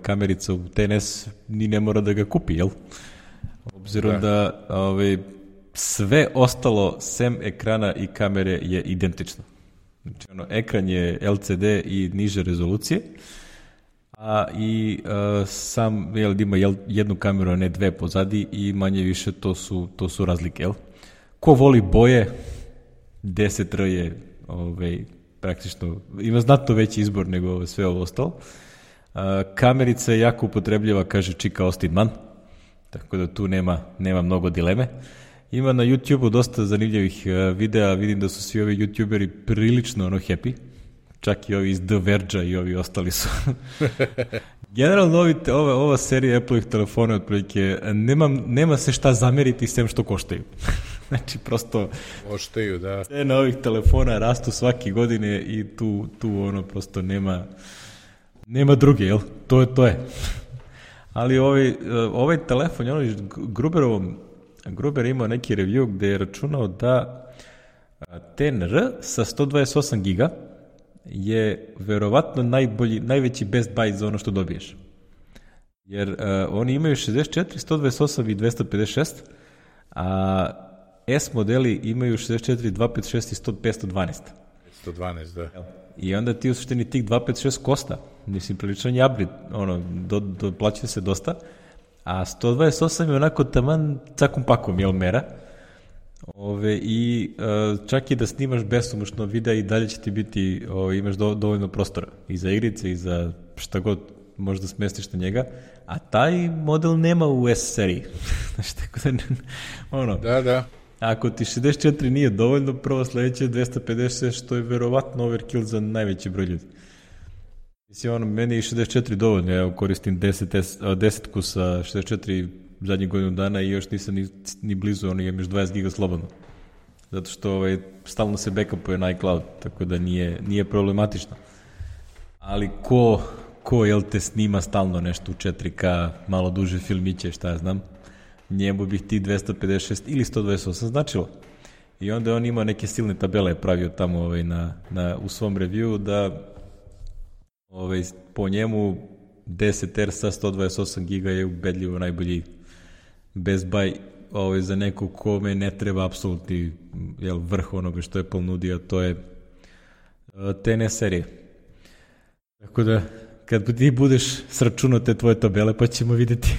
kamerica u TNS ni ne mora da ga kupi, jel? Obzirom da sve ostalo sem ekrana i kamere je identično. Znači, ekran je LCD i niže rezolucije, a i sam ima jednu kameru, a ne dve pozadi i manje više to su razlike, jel? Ko voli boje, 10R je praktično, ima znatno veći izbor nego sve ovo ostalo. Kamerica je jako upotrebljiva, kaže Čika Austin-Mann, tako da tu nema mnogo dileme. Ima na YouTube-u dosta zanimljivih videa, vidim da su svi ovi YouTuberi prilično happy, čak i ovi iz The Verge-a i ovi ostali su. Generalno ova serija Apple-ih telefona otprilike nema se šta zameriti sem što koštaju. Znači, prosto koštaju, da. Cene ovih telefona rastu svake godine i tu prosto nema druge, jel? To je. Ali ovaj telefon, Gruber imao neki review gde je računao da 10R sa 128 giga je verovatno najveći best buy za ono što dobiješ. Jer oni imaju 64, 128 i 256, a S modeli imaju 64, 256 i 512. 512, da. I onda ti u suštini tih 256 košta. Mislim, priličan je upgrade, doplaćuje se dosta, a 128 je onako taman cakom pakom, jel, mera. I čak i da snimaš besomučno videa i dalje će ti biti, imaš dovoljno prostora i za igrice i za šta god možda smestiš na njega, a taj model nema u S seriji. Znači, tako da, Da. Ako ti 64 nije dovoljno, prvo sledeće 256, što je verovatno overkill za najveći broj ljudi. Mislim, meni je 64 dovoljno, ja koristim 10-ku sa 64 zadnjih godinu dana i još nisam ni blizu, imam još 20 giga slobodno. Zato što stalno se backupuje na iCloud, tako da nije problematično. Ali ko jel te snima stalno nešto u 4K, malo duže filmiće, šta ja znam, njemu bih ti 256 ili 128 značilo. I onda on ima neke silne tabele pravio tamo u svom review da po njemu 10R sa 128 giga je ubedljivo najbolji best buy za nekog kome ne treba apsolutni vrh onoga što Apple nudi, a to je TNS serije. Tako da, kad ti budeš sračunao te tvoje tabele, pa ćemo vidjeti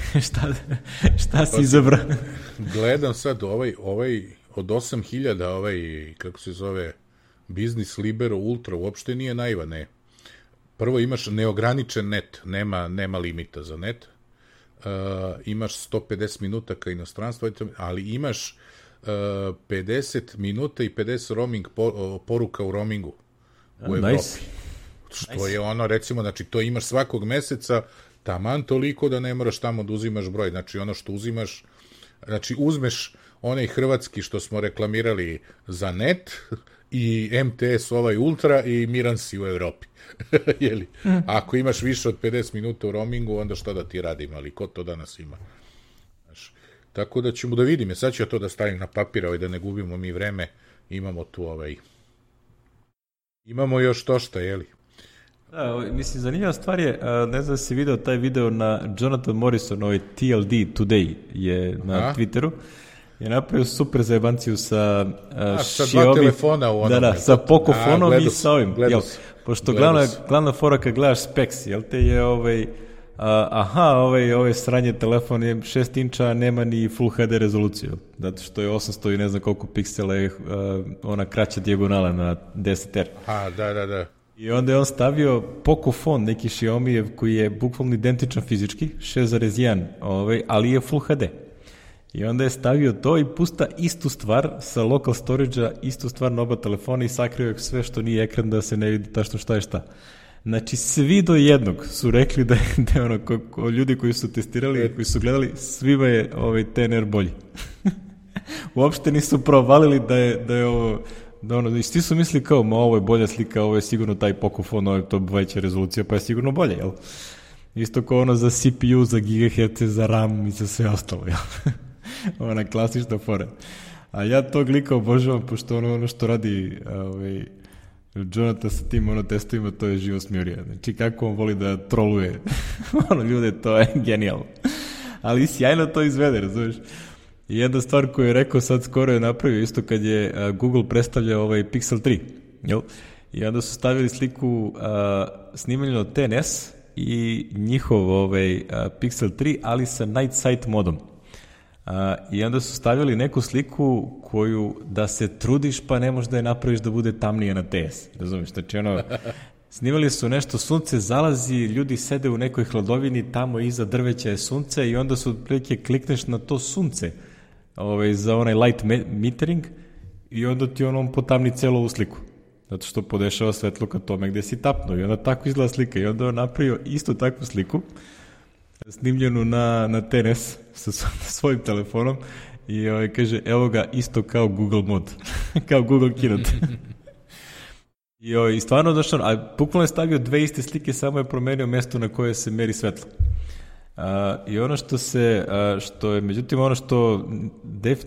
šta si izabrao. Gledam sad od 8000, kako se zove, Business Libero Ultra, uopšte nije naivan, ne. Prvo imaš neograničen net, nema limita za net, imaš 150 minuta ka inostranstvu, ali imaš 50 minuta i 50 roaming poruka u roamingu u Evropi. Nice. Što je recimo, znači to imaš svakog meseca, taman toliko da ne moraš tamo da uzimaš broj, znači ono što uzimaš, znači uzmeš onaj hrvatski što smo reklamirali za net i MTS Ultra i miran si u Evropi. Jeli? Ako imaš više od 50 minuta u roamingu, onda šta da ti radim, ali ko to danas ima? Znaš, tako da ćemo da vidimo, sad ću ja to da stavim na papir, da ne gubimo mi vreme, imamo tu imamo još to šta, jeli? Da, mislim, zanimljiva stvar je, ne znam da si video taj video na Jonathan Morrison, TLD Today je na Twitteru, je napravio super zajebanciju sa sa dva telefona u onome. Da, sa Pocofonom i sa ovim. Pošto glavna fora kad gledaš specs, jel te je ovaj sranje telefon je 6 inča, nema ni Full HD rezoluciju, zato što je 800 i ne znam koliko piksela je ona kraća dijagonala na 10R. Da. I onda je on stavio Pocofon, neki Xiaomi koji je bukvalno identičan fizički, 6.1, ali je Full HD. I onda je stavio to i pusta istu stvar sa local storage-a, istu stvar na oba telefona i sakrio je sve što nije ekran da se ne vidi tačno šta je šta. Znači, svi do jednog su rekli da je ljudi koji su testirali, koji su gledali, svima je TNR bolji. Uopšte nisu provalili Da ono, svi su misli kao, ovo je bolja slika, ovo je sigurno taj Pocophone, ovo je to veća rezolucija, pa je sigurno bolje, jel? Isto kao ono za CPU, za gigaherce, za RAM i za sve ostalo, jel? Ona klasična fora. A ja tog lika obožavam, pošto ono što radi Jonathan sa tim testovima, to je živo smjurija. Znači, kako on voli da troluje ljude, to je genijalno. Ali sjajno to izvede, razumiješ? I jedna stvar koju je rekao sad skoro je napravio, isto kad je Google predstavljao Pixel 3, jel? I onda su stavili sliku snimanja od TNS i njihov Pixel 3, ali sa Night Sight modom. I onda su stavili neku sliku koju da se trudiš pa ne možeš da je napraviš da bude tamnije na TS. Razumiješ? Znači snimali su nešto, sunce zalazi, ljudi sede u nekoj hladovini, tamo iza drveća je sunce i onda su otprilike klikneš na to sunce za onaj light metering i onda ti on potamni celu ovu sliku. Zato što podešava svetlo ka tome gde si tapnuo i onda tako izgleda slika i onda on napravio isto takvu sliku snimljenu na TNS sa svojim telefonom i kaže, evo ga isto kao Google mod, kao Google Keynote. I stvarno došao, a bukvalno je stavio dve iste slike, samo je promenio mesto na koje se meri svetlo. I ono što je, međutim, ono što,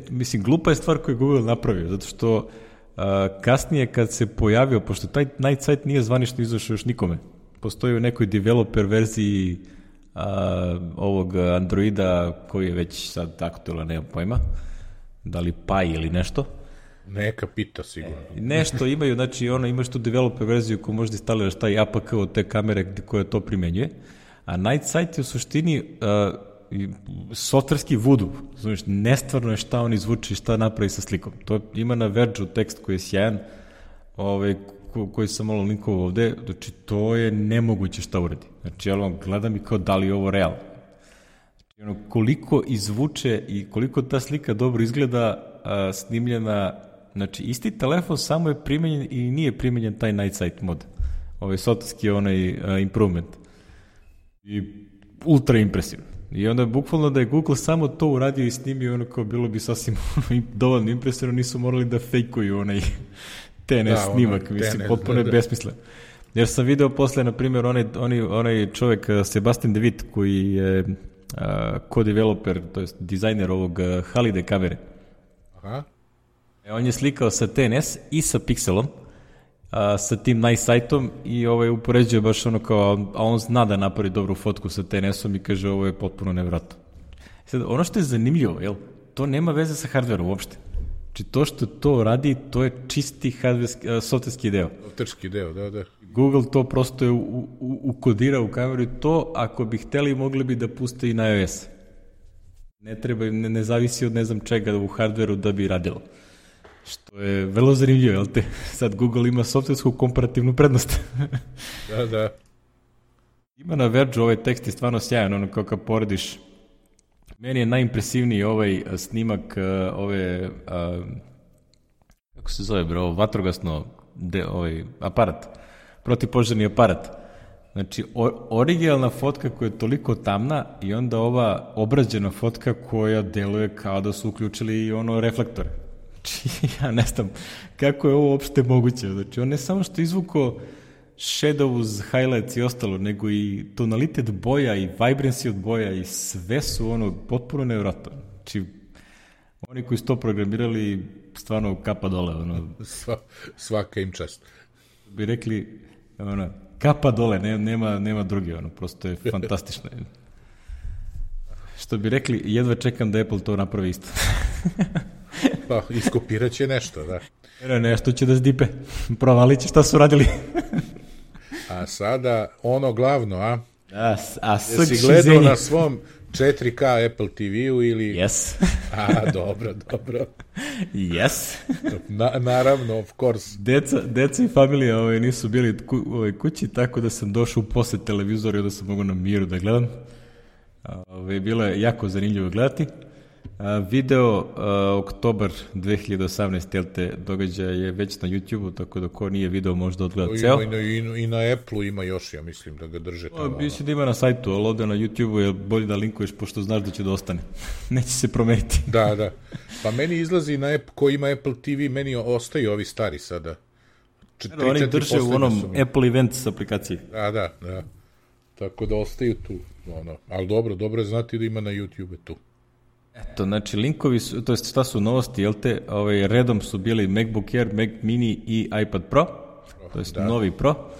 mislim, glupa je stvar koju je Google napravio, zato što kasnije kad se pojavio, pošto taj Night Sight nije zvanično izašao još nikome, postoji u nekoj developer verziji ovog Androida koji je već sad aktualan, nemam pojma, da li Pi ili nešto. Neka pita sigurno. Nešto imaju, znači imaš tu developer verziju koju možda instaliraš taj APK od te kamere koja to primenjuje, a Night Sight je u suštini softverski voodoo, znači nestvarno je šta on izvuče i šta napravi sa slikom. To ima na Verge tekst koji je sjajan, koji sam malo linkovao ovde, znači to je nemoguće šta uradi. Znači ja gledam i kao da li je ovo realno. Znači, koliko izvuče i koliko ta slika dobro izgleda snimljena, znači isti telefon samo je primenjen i nije primenjen taj Night Sight mod. Softverski improvement. I ultra impresivno. I onda bukvalno da je Google samo to uradio i snimio, kao bilo bi sasvim dovoljno impresivno, nisu morali da fejkuju TNS snimak, mislim, potpuno je besmislen. Jer sam video posle, na primjer, onaj čovek, Sebastian De Witt, koji je co-developer, to je dizajner ovog Halide kamere. Aha. On je slikao sa TNS i sa Pixelom, sa tim Night Sightom i upoređuje baš kao, a on zna da napravi dobru fotku sa TNS-om i kaže ovo je potpuno nevratno. Sad, ono što je zanimljivo, to nema veze sa hardverom uopšte. Znači to što to radi, to je čisti softverski deo. Softverski deo, da. Google to prosto je ukodirao u kameru i to, ako bi hteli, mogli bi da puste i na iOS. Ne treba, ne zavisi od ne znam čega u hardveru da bi radilo. Što je vrlo zanimljivo, jel te? Sad Google ima softversku komparativnu prednost. Da. Ima na Verge ovaj tekst je stvarno sjajan, kao kad porediš. Meni je najimpresivniji snimak kako se zove, vatrogasno aparat, protivpožarni aparat. Znači, originalna fotka koja je toliko tamna i onda ova obrađena fotka koja deluje kao da su uključili i reflektore. Znači, ja ne znam kako je ovo uopšte moguće. Znači, on ne samo što izvuko shadows, highlights i ostalo, nego i tonalitet boja i vibrancy od boja i sve su potpuno nevjerojatno. Znači, oni koji su to programirali, stvarno kapa dole. Svaka im čast. Bi rekli, kapa dole, nema druge, prosto je fantastično. Što bi rekli, jedva čekam da Apple to napravi isto. Pa, iskopirat će nešto, da. Nešto će da zdipe. Provalit će šta su radili. A sada, glavno, a? Jesi gledao na svom 4K Apple TV-u ili... Yes. Dobro. Yes. Naravno, of course. Deca i familija nisu bili kući, tako da sam došao u posjet televizoru i da sam mogu na miru da gledam. Bilo je jako zanimljivo gledati. Video oktobar 2018, jel te, događaj je već na YouTube-u, tako da ko nije video možda odgleda ceo. I na Apple-u ima još, ja mislim da ga drže tamo. Mislim da ima na sajtu, ali ovde na YouTube-u je bolje da linkuješ, pošto znaš da će da ostane. Neće se promeniti. Da. Pa meni izlazi na ko ima Apple TV, meni ostaju ovi stari sada. Oni drže u onom Apple Events aplikaciji. Da. Tako da ostaju tu. Ali dobro je znati da ima na YouTube tu. Eto, znači linkovi su, to je šta su novosti, jel te, redom su bili MacBook Air, Mac Mini i iPad Pro, to je novi Pro.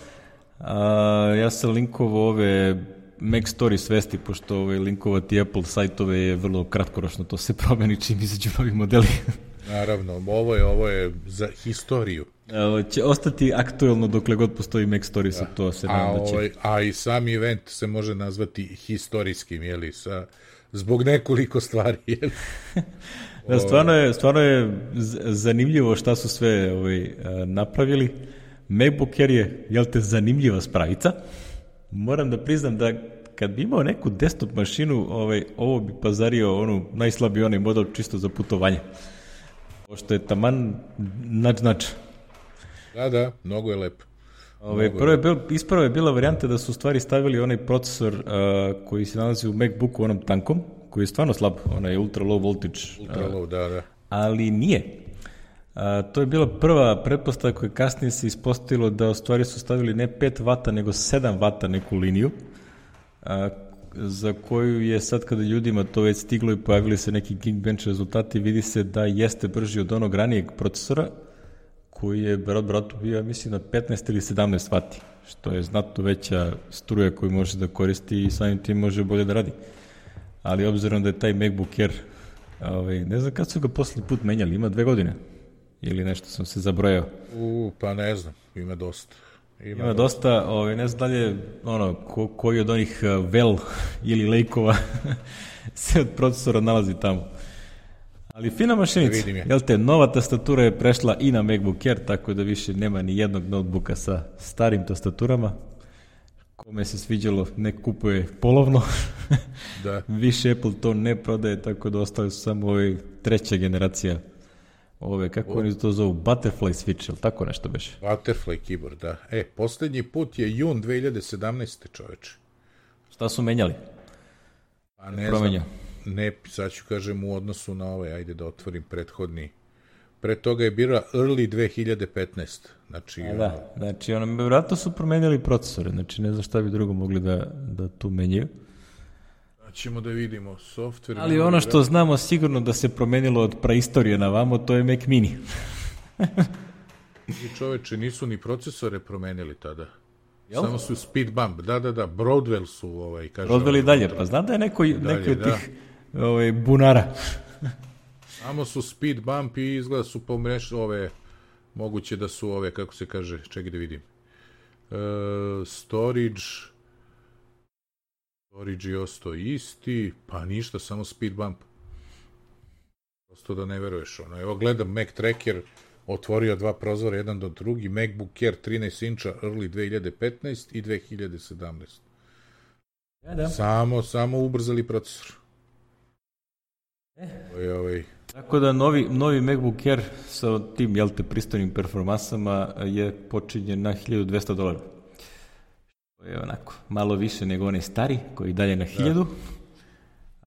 Ja sam linkovao ove Mac Stories vesti, pošto linkovati Apple sajtove je vrlo kratkoročno, to se promeni čim izađu novi modeli. Naravno, ovo je za historiju. Će ostati aktuelno dokle god postoji Mac Stories, to se nadam da će. A i sam event se može nazvati historijskim, jeli, zbog nekoliko stvari, jeli. Da, stvarno je zanimljivo šta su sve napravili. MacBook Air je, jel te, zanimljiva spravica. Moram da priznam da kad bi imao neku desktop mašinu, ovo bi pazario najslabiji onaj model čisto za putovanje. Pošto je taman nač. Da, mnogo je lepo. Ispravo je bila varijanta da su u stvari stavili onaj procesor koji se nalazi u MacBooku, onom tankom, koji je stvarno slab, onaj ultra low voltage. Ultra low, da. Ali nije. To je bila prva pretpostavka koja kasnije se ispostavilo da u stvari su stavili ne 5 vata, nego 7 vata neku liniju, za koju je sad kada ljudima to već stiglo i pojavili se neki Geekbench rezultati, vidi se da jeste brži od onog ranijeg procesora, koji je bratu bio, mislim, na 15 ili 17 vati, što je znatno veća struja koju može da koristi i samim tim može bolje da radi. Ali obzirom da je taj MacBook Air, ne znam kad su ga poslednji put menjali, ima 2 godine ili nešto sam se zabrojao. Pa ne znam, ima dosta. Ima dosta, ne znam dalje, koji od onih Vel ili Lejkova se od procesora nalazi tamo. Ali fina mašinica, jel te, nova tastatura je prešla i na MacBook Air, tako da više nema ni jednog notebooka sa starim tastaturama. Kome se sviđalo, ne kupuje polovno. Da. Više Apple to ne prodaje, tako da ostali su samo treća generacija kako oni to zovu, Butterfly switch, ili tako nešto beše? Butterfly keyboard, da. Poslednji put je jun 2017. čoveče. Šta su menjali? Pa ne znam. Ne, sad ću kažem u odnosu na ajde da otvorim prethodni. Pre toga je bila early 2015. Znači, znači vjerojatno su promenjali procesore, znači ne znam šta bi drugo mogli da tu menjaju. Ćemo da vidimo software. Ali ono što znamo sigurno da se promenilo od praistorije na vamo, to je Mac Mini. I čoveče, nisu ni procesore promenili tada. Jel? Samo su speed bump, da, Broadwell su, kaže... Broadwell i dalje, pa znam da je neki od tih bunara. Samo su speed bump i izgleda su moguće da su kako se kaže, čekaj da vidim. Storage je ostao isti, pa ništa, samo speed bump. Prosto da ne veruješ. Evo gledam Mac Tracker, otvorio 2 prozora, jedan do drugi, MacBook Air 13 inča, early 2015 i 2017. Da. Samo ubrzali procesor. Tako da novi MacBook Air sa tim, pristojnim performansama je počinjen na $1,200. To je onako, malo više nego onaj stari, koji dalje na 1000,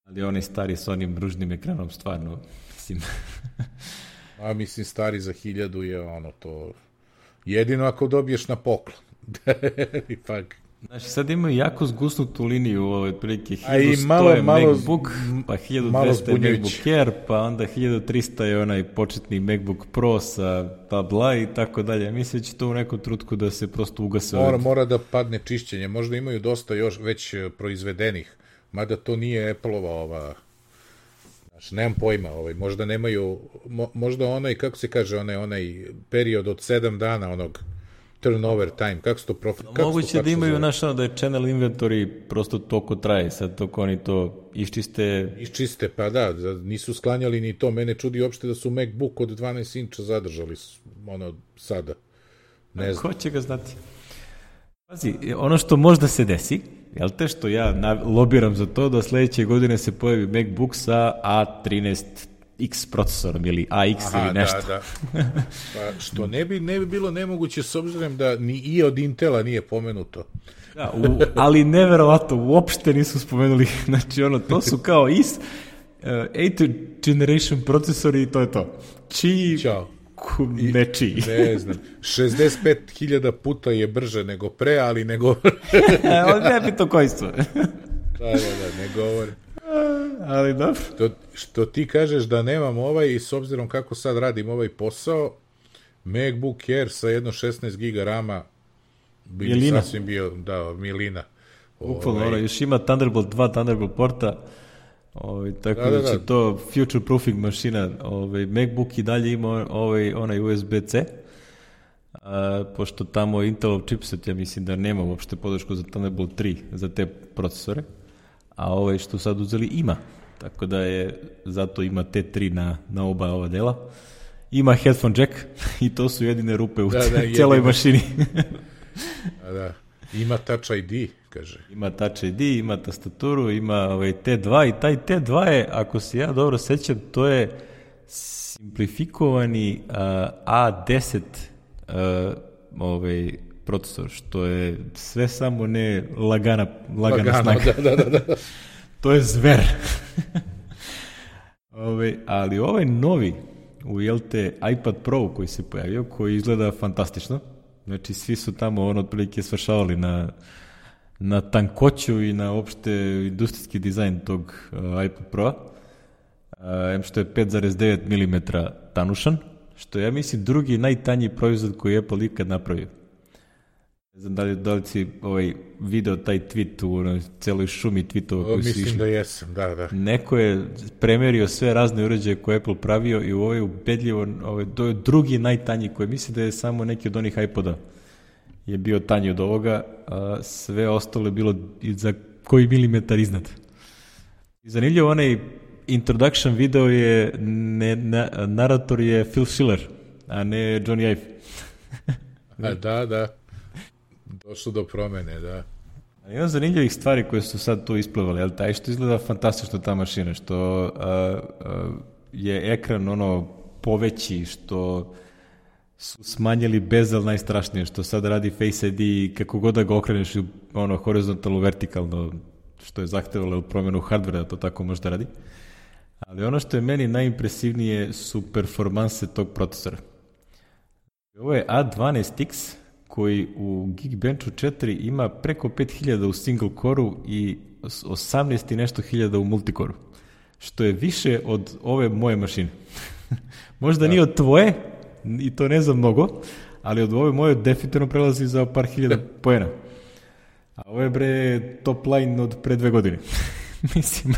ali onaj stari sa onim ružnim ekranom, stvarno, mislim... mislim, stari za 1000 je to... Jedino ako dobiješ na poklon. Ipak... Znači, sad imaju jako zgusnutu liniju, otprilike 1100 je MacBook, pa 1200 je MacBook Air, pa onda 1300 je onaj početni MacBook Pro sa bla i tako dalje. Mislim da će to u nekom trutku da se prosto ugase. Mora da padne čišćenje. Možda imaju dosta još već proizvedenih, mada to nije Apple-ova Znači, nemam pojma, možda nemaju, možda onaj, kako se kaže, onaj period od 7 dana, onog turnover time, kako se to moguće da imaju da je channel inventory prosto toliko traje, sad toko oni to iščiste, pa da, nisu sklanjali ni to, mene čudi uopšte da su MacBook od 12 inča zadržali sada, ne znam. Ko će ga znati? Pazi, ono što možda se desi, jel te, što ja lobiram za to da sledeće godine se pojavi MacBook sa A13X procesorom ili AX ili nešto. Da. Pa što ne bi bilo nemoguće s obzirom da ni i od Intela nije pomenuto. Da, ali neverovatno, uopšte nisu spomenuli, znači to su kao 8th generation procesori i to je to. Ćao. Nečiji. Ne znam, 65.000 puta je brže nego pre, ali nego... ne bi to kojstvo. Da, ne govori. Ali dobro. Što ti kažeš da nemam i s obzirom kako sad radim ovaj posao, MacBook Air sa jedno 16 giga rama bi sasvim bio, milina. Bukvalno, još ima Thunderbolt 2, Thunderbolt porta, tako da će to future proofing mašina. MacBook i dalje ima onaj USB-C, pošto tamo Intelov chipset, ja mislim da nema uopšte podršku za Thunderbolt 3 za te procesore, a što sad uzeli ima, tako da zato ima T3 na oba ova dela. Ima headphone jack i to su jedine rupe u cijeloj mašini. Da. Ima Touch ID, kaže. Ima Touch ID, ima tastaturu, ima T2 i taj T2 je, ako se ja dobro sećam, to je simplifikovani A10 procesor, što je sve samo ne lagana snaga. Da. To je zver. Ali novi iPad Pro koji se pojavio, koji izgleda fantastično. Znači, svi su tamo otprilike svršavali na tankoću i na opšte industrijski dizajn tog iPad Pro-a. Što je 5,9 mm tanušan, što je, ja mislim, drugi najtanji proizvod koji je Apple ikad napravio. Ne znam da li si video taj tweet u celoj šumi tweetova koji su išli. Mislim da jesam, da. Neko je premerio sve razne uređaje koje je Apple pravio i u ubedljivo, to je drugi najtanji koji misli da je samo neki od onih iPoda je bio tanji od ovoga, a sve ostalo je bilo za koji milimetar iznad. I zanimljivo, onaj introduction video je, narator je Phil Schiller, a ne Johnny Ive. Da. Došlo do promene, da. Ima zanimljivih stvari koje su sad tu isplivali, ali taj što izgleda fantastično ta mašina, što je ekran poveći, što su smanjili bezel najstrašnije, što sad radi Face ID i kako god da ga okreneš horizontalno, vertikalno, što je zahtevalo promenu hardvera da to tako možda radi. Ali ono što je meni najimpresivnije su performanse tog procesora. Ovo je A12X, koji u Geekbenchu 4 ima preko 5000 u single core-u i 18 i nešto hiljada u multicore-u, što je više od ove moje mašine. Možda nije od tvoje, i to ne znam mnogo, ali od ove moje definitivno prelazi za par hiljada poena. A ovo je top line od pre 2 godine. Mislim.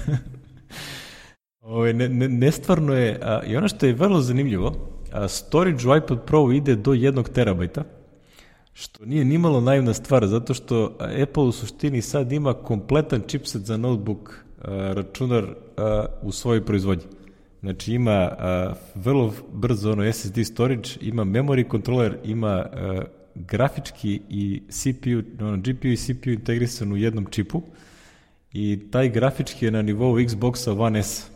Nestvarno je, i ono što je vrlo zanimljivo, storage u iPad Pro ide do 1 terabajta, što nije nimalo naivna stvar, zato što Apple u suštini sad ima kompletan chipset za notebook računar u svojoj proizvodnji. Znači ima vrlo brzo SSD storage, ima memory controller, ima grafički i CPU, GPU i CPU integrisan u jednom čipu i taj grafički je na nivou Xboxa One S.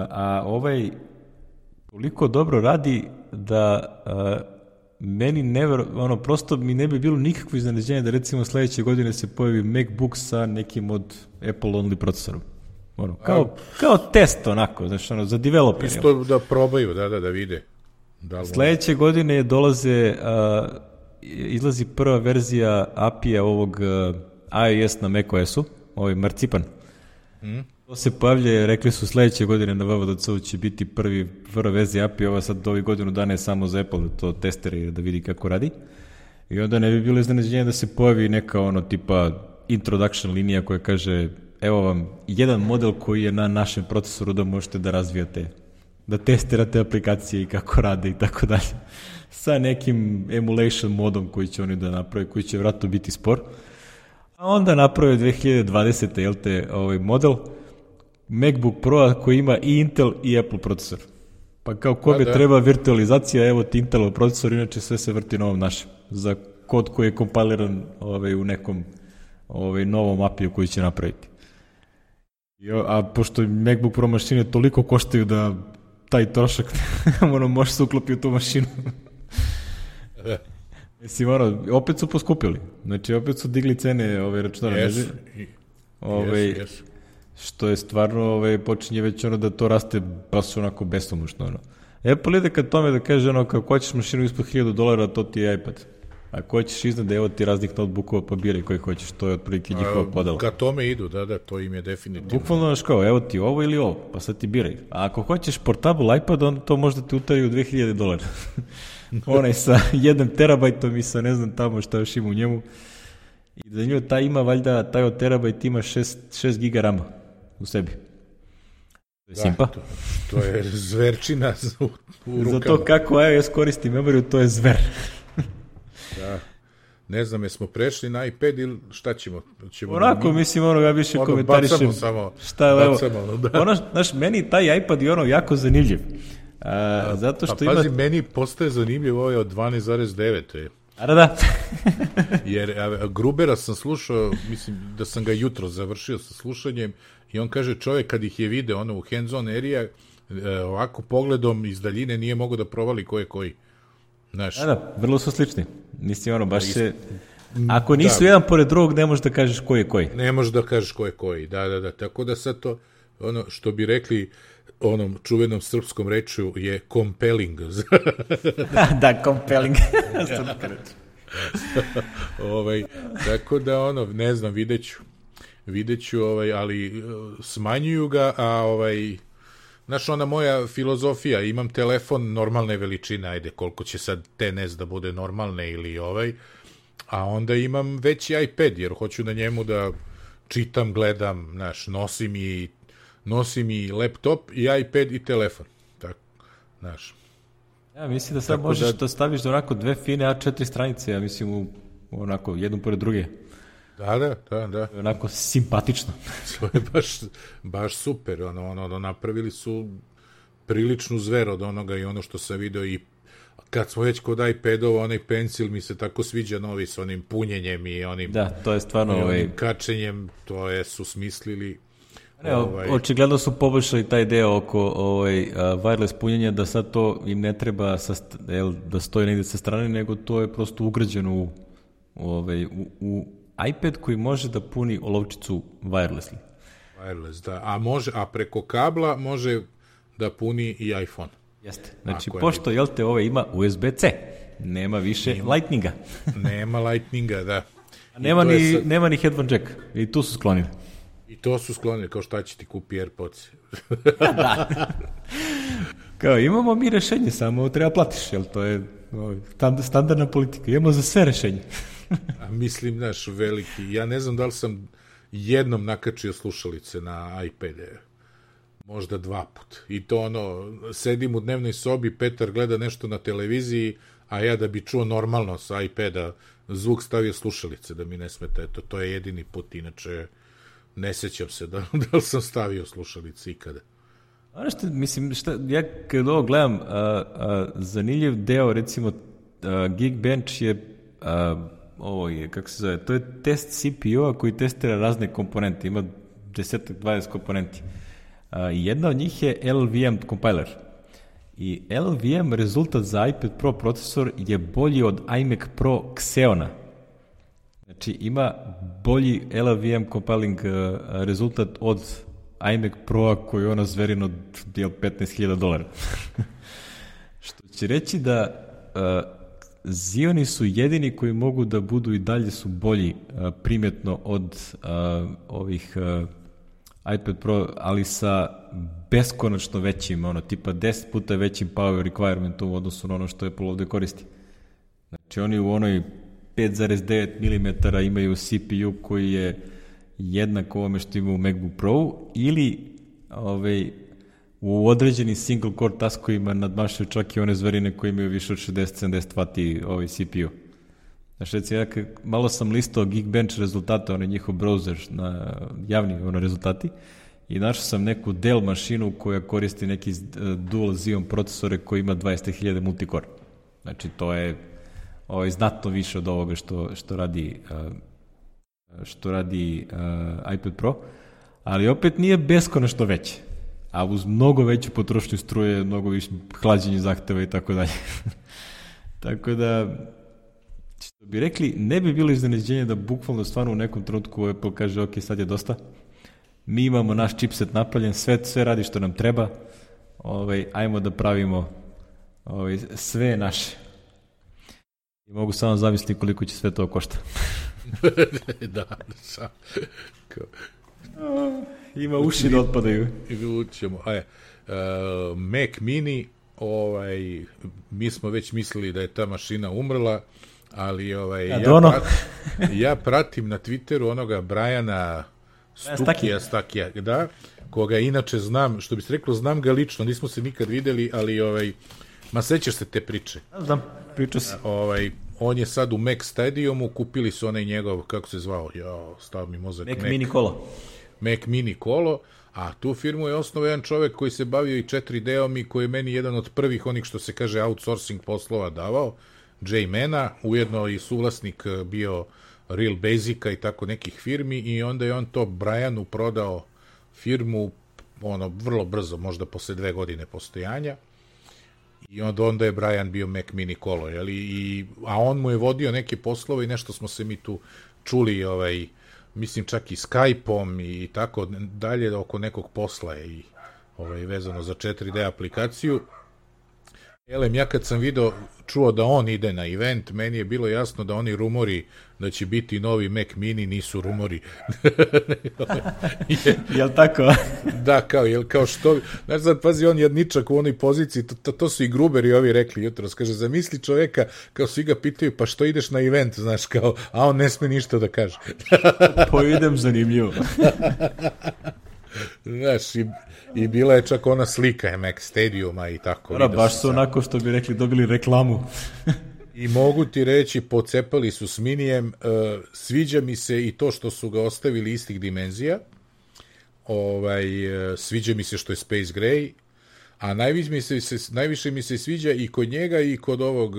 A toliko dobro radi da meni prosto mi ne bi bilo nikakvo iznenađenje da recimo sledeće godine se pojavi MacBook sa nekim od Apple only procesorom. Kao test za developer. Isto da probaju, da vide. Sledeće godine izlazi prva verzija API-a ovog iOS na macOS-u, Marcipan. To se pojavlja, rekli su sledeće godine na WWDC će biti prva verzija API, ova sad ovih godinu dana je samo za Apple, to testeri da vidi kako radi. I onda ne bi bilo iznenađenje da se pojavi neka tipa introduction linija koja kaže evo vam jedan model koji je na našem procesoru da možete da razvijate, da testirate aplikacije i kako rade i tako dalje. Sa nekim emulation modom koji će oni da naprave, koji će vratno biti spor. A onda naprave 2020. Model MacBook Pro koji ima i Intel i Apple procesor. Pa kao kome treba virtualizacija, evo ti Intelov procesor, inače sve se vrti na ovom našem. Za kod koji je kompiliran u nekom novom apiju koji će napraviti. A pošto MacBook Pro mašine toliko koštaju da taj trošak može se uklopiti u tu mašinu. Mislim, opet su poskupili. Znači, opet su digli cene računara. Yes. Što je stvarno, počinje već da to raste baš onako besomučno. Apple ide kad tome da kaže, kako hoćeš mašinu ispod $1,000, to ti je iPad. Ako hoćeš iznad, evo ti raznih notebookova, pa biraj koji hoćeš, to je otprilike njihova podela. Ka tome idu, da, to im je definitivno. Bukvalno kao, evo ti ovo ili ovo, pa sad ti biraj. A ako hoćeš portable iPad, onda to možda ti utari u $2,000. Onaj sa 1 terabajtom i sa ne znam tamo šta još ima u njemu. I da nju taj ima, valjda, taj od terabajt ima 6 giga rama u sebi. To je simpa. To je zverčina u rukama. Za to kako iOS koristi memoriju, to je zver. Da. Ne znam, jesmo prešli na iPad ili šta ćemo? Onako, mislim, ja više komentarišem. Bacamo samo. Znaš, meni taj iPad je jako zanimljiv. Zato što pazi, meni postaje zanimljiv ovaj od 12,9. Da. Jer Grubera sam slušao, mislim da sam ga jutro završio sa slušanjem i on kaže, čovjek kad ih je video u hands-on area, ovako pogledom iz daljine nije mogao da provali ko je koji. Znaš. Da, vrlo su slični. Mislim, baš se... Ako nisu jedan pored drugog, ne možeš da kažeš ko je koji. Ne možeš da kažeš ko je koji, da. Tako da sad to, što bi rekli onom čuvenom srpskom rečju je compelling. Da, compelling. Tako da, ne znam, vidjet ću, ali smanjuju ga, a znaš, ona moja filozofija, imam telefon normalne veličine, ajde, koliko će sad tenes da bude normalne ili a onda imam veći iPad, jer hoću na njemu da čitam, gledam, znaš, nosim i laptop i iPad i telefon, tako, znaš. Ja mislim da sad možeš da staviš da onako 2 fine A4 stranice, ja mislim, onako, jednu pored druge. Da. Onako simpatično. To je baš super. Napravili su priličnu zver od onoga i ono što sam video i kad smo već kod iPadova, onaj pencil mi se tako sviđa novi s onim punjenjem i onim, to je stvarno kačenjem, to su smislili. Očigledno su poboljšali taj deo oko wireless punjenja, da sad to im ne treba da stoji negdje sa strane, nego to je prosto ugrađeno u iPad koji može da puni olovčicu wirelessly. Wireless, da. A preko kabla može da puni i iPhone. Jeste. Znači, pošto, ima USB-C, nema više Lightninga. Nema Lightninga, da. Nema ni headphone jack. I tu su sklonili. I to su sklonili, kao šta će ti kupi AirPods. Da. Kao, imamo mi rešenje, samo treba platiš, jel to je standardna politika. Imamo za sve rešenje. A mislim, znaš, veliki. Ja ne znam da li sam jednom nakačio slušalice na iPad-e. Možda 2 put. I to sedim u dnevnoj sobi, Petar gleda nešto na televiziji, a ja da bi čuo normalno sa iPada zvuk stavio slušalice, da mi ne smeta. Eto, to je jedini put, inače ne sećam se da li sam stavio slušalice ikada. Ono što, mislim, ja kad ovo gledam, zanimljiv deo, recimo, Geekbench je, ovo je, kako se zove, to je test CPU-a koji testira razne komponente, ima 10-20 komponenti. Jedna od njih je LLVM compiler. I LLVM rezultat za iPad Pro procesor je bolji od iMac Pro Xeona. Znači, ima bolji LLVM compiling rezultat od iMac Pro-a koji je zverin od $15,000. Što će reći da Xeoni su jedini koji mogu da budu i dalje su bolji primjetno od ovih iPad Pro, ali sa beskonačno većim, tipa 10 puta većim power requirementom u odnosu na ono što Apple ovde koristi. Znači, oni u onoj 5,9 mm imaju CPU koji je jednak ovome što ima u MacBook Pro ili u određenim single core taskovima nadmašaju čak i one zverine koje imaju više od 60-70 W CPU. Znači, recimo, malo sam listao Geekbench rezultate, njihov browser, javni rezultati, i našao sam neku Dell mašinu koja koristi neki dual Xeon procesore koji ima 20.000 multicore. Znači, to je znatno više od ovoga što radi iPad Pro, ali opet nije beskonačno veće, a uz mnogo veću potrošnju struje, mnogo više hlađenje zahteva i tako dalje. Tako da, što bi rekli, ne bi bilo iznenađenje da bukvalno stvarno u nekom trenutku Apple kaže ok, sad je dosta, mi imamo naš chipset napravljen, sve radi što nam treba, ajmo da pravimo sve naše. I mogu samo zamisliti koliko će sve to košta. Da, sam. Ima uši da otpadaju. Mac Mini, mi smo već mislili da je ta mašina umrla, ali ja pratim na Twitteru onoga Briana Stakija, da, koga inače znam, što bi se reklo, znam ga lično, nismo se nikad videli, ali sećaš se te priče? Znam, priča se. On je sad u Mac Stadiumu, kupili su onaj njegov, kako se zvao, stav mi mozak. Mac Mini Kolo. Mac Mini Kolo, a tu firmu je osnovao jedan čovek koji se bavio i 4D-om i koji je meni jedan od prvih onih što se kaže outsourcing poslova davao, Jay Mana, ujedno i suvlasnik bio Real Basica i tako nekih firmi, i onda je on to Brianu prodao firmu vrlo brzo, možda posle 2 godine postojanja, i onda je Brian bio Mac Mini Kolo, a on mu je vodio neke poslove i nešto smo se mi tu čuli, mislim čak i Skype-om i tako dalje, oko nekog posla i vezano za 4D aplikaciju. Ja kad sam čuo da on ide na event, meni je bilo jasno da oni rumori da će biti novi Mac Mini nisu rumori. Jel tako? Da, kao što... Znaš, sad pazi, on jedničak u onoj poziciji, to su i Gruberi ovi rekli jutros, kaže, zamisli čoveka, kao svi ga pitaju, pa što ideš na event, znaš, kao, a on ne sme ništa da kaže. Poidem zanimljivo. Znaš, i bila je čak ona slika Mac Stadiuma i tako. Baš su onako, što bi rekli, dobili reklamu. I mogu ti reći, pocepali su s Minijem, sviđa mi se i to što su ga ostavili istih dimenzija, sviđa mi se što je Space Gray, a najviše mi se sviđa i kod njega i kod ovog,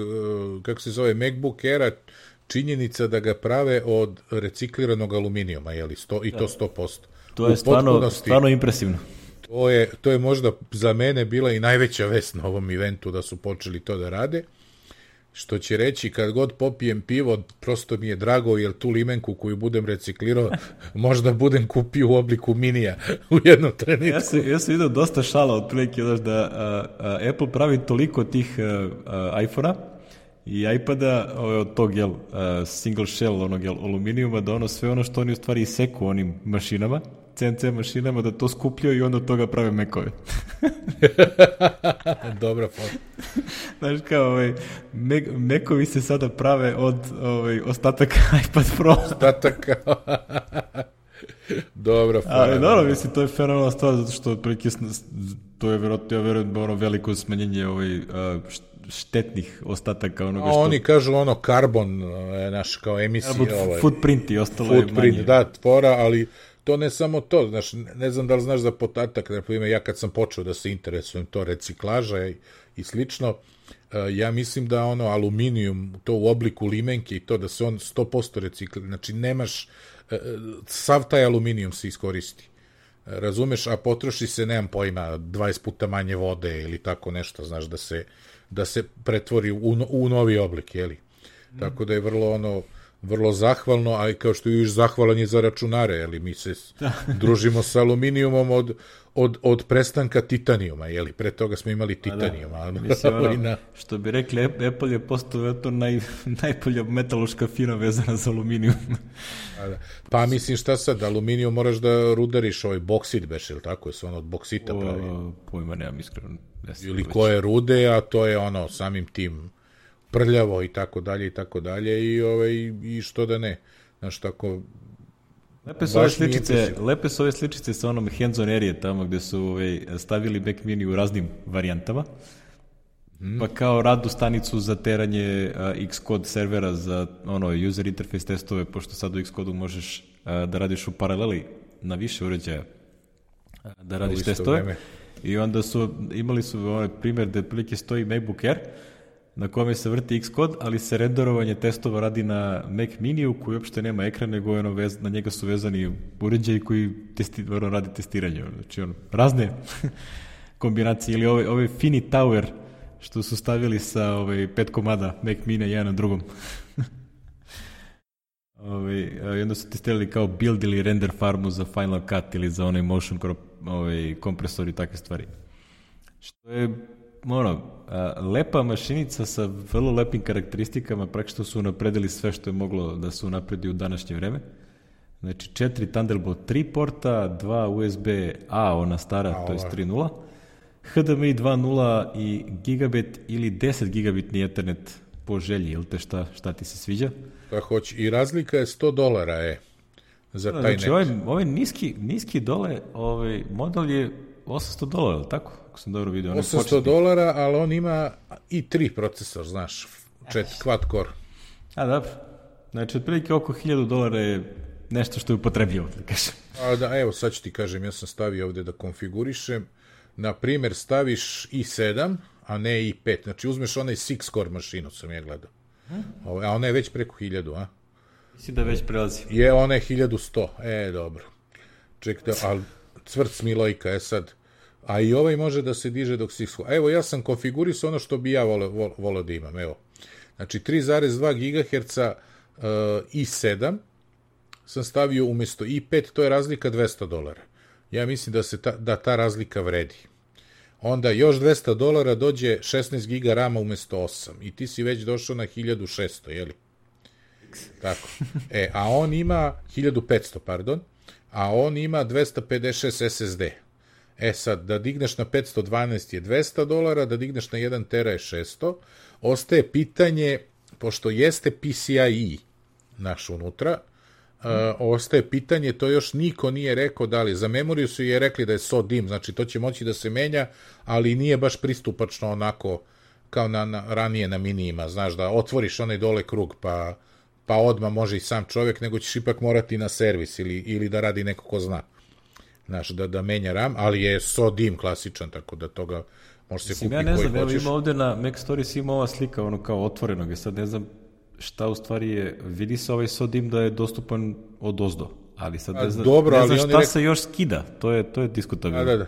kako se zove, MacBook Aira, činjenica da ga prave od recikliranog aluminijuma, i to 100%. To je stvarno impresivno. To je možda za mene bila i najveća vest na ovom eventu da su počeli to da rade. Što će reći, kad god popijem pivo, prosto mi je drago, jer tu limenku koju budem reciklirao, možda budem kupio u obliku minija u jednom trenutku. Ja sam vidio dosta šala otprilike, da Apple pravi toliko tih iPhone-a i iPada od tog single shell, onog aluminijuma, da sve ono što oni u stvari iseku onim mašinama, CNC mašinama, da to skupljaju i onda od toga prave Mac-ove. Dobra foto. Znaš kao, Mac-ovi se sada prave od ostataka iPad Pro. Ostataka. Dobra foto. Ali dobro, mislim, to je fenomenalna stvar, zato što otprilike to je verovatno veliko smanjenje štetnih ostataka onoga što... Oni kažu karbon, naš, kao emisija. Footprint i ostalo je manje. Da, tvora, ali to ne samo to, znaš, ne znam da li znaš za podatak, ja kad sam počeo da se interesujem to reciklaža i slično, ja mislim da aluminijum, to u obliku limenke i to da se on 100% reciklira, znači nemaš, sav taj aluminijum se iskoristi, razumeš, a potroši se, nemam pojma, 20 puta manje vode ili tako nešto, znaš, da se pretvori u novi oblik, tako da je vrlo zahvalno, a kao što je još zahvalan je za računare, mi se družimo sa aluminijumom od prestanka titanijuma, pre toga smo imali titanijuma. Mislim, što bi rekli, Apple je postao najbolja metaloška fina vezana za aluminijum. Pa mislim, šta sad, aluminijum moraš da rudariš boksit beš, ili tako, je se od boksita pravi. Pojma, nemam iskreno. Ili koje rude, a to je samim tim prljavo i tako dalje i što da ne. Znaš, tako... Lepe su ove sličice sa onom hands-on area tamo gde su stavili Mac Mini u raznim varijantama, pa kao radnu stanicu za teranje Xcode servera za user interface testove, pošto sad u Xcode-u možeš da radiš u paraleli na više uređaja da radiš testove. I onda imali su primjer da prilike stoji MacBook Air na kome se vrti Xcode, ali se renderovanje testova radi na Mac Miniju koji uopšte nema ekran, nego na njega su vezani uređaji koji radi testiranje. Znači, razne kombinacije. Ili ovaj Fini Tower što su stavili sa 5 komada Mac Mini jedan na drugom. I onda su testirali kao build ili render farmu za Final Cut ili za onaj motion kompresor i takve stvari. Što je lepa mašinica sa vrlo lepim karakteristikama, praktično su unapredili sve što je moglo da se unapredi u današnje vreme. Znači 4 Thunderbolt 3 porta, 2 USB-A, ona stara, to je 3.0, HDMI 2.0 i gigabit ili 10 gigabitni Ethernet po želji, ili te šta ti se sviđa? Pa hoće, i razlika je $100 za taj net. Znači ovaj niski dole, model je $800, tako? Ako sam dobro vidio. $800, ali on ima i 3 procesor, znaš, 4 quad core. A, dobro. Znači, otprilike oko $1000 je nešto što je upotrebljivo, da kažem. Evo, sad ću ti kažem, ja sam stavio ovde da konfigurišem. Na primjer, staviš i7, a ne i5. Znači, uzmeš onaj 6-core mašinu, sam je gledao. A ona je već preko 1000, a? Mislim da već prelazi. Ona je 1100. Dobro. Čekaj, ali cvrt Milojka, sad. A i ovaj može da se diže dok si... Evo, ja sam konfigurisao ono što bi ja volio da imam, evo. Znači, 3,2 GHz i7 sam stavio umjesto i5, to je razlika $200. Ja mislim da ta razlika vredi. Onda još $200 dođe 16 GB rama umjesto 8 i ti si već došao na 1600, jeli? Tako. A on ima 1500, pardon, a on ima 256 SSD. Sad, da digneš na 512 je $200, da digneš na 1 tera je 600. Ostaje pitanje, pošto jeste PCIe naš unutra, ostaje pitanje, to još niko nije rekao da li, za memoriju su je rekli da je SO-DIMM, znači to će moći da se menja, ali nije baš pristupačno onako kao ranije na minijima, znaš, da otvoriš onaj dole krug, pa odmah može i sam čovjek, nego ćeš ipak morati na servis ili da radi neko ko zna. Znaš, da menja RAM, ali je SO-DIMM klasičan, tako da toga može se kupiti koji hoćeš. Ja ne znam, ima ovde na Mac Stories ima ova slika, ono kao otvorenog, sad ne znam šta u stvari je, vidi se ovaj SO-DIMM da je dostupan od ozdo, ali sad ne znam šta se još skida, to je diskutabilno. Da.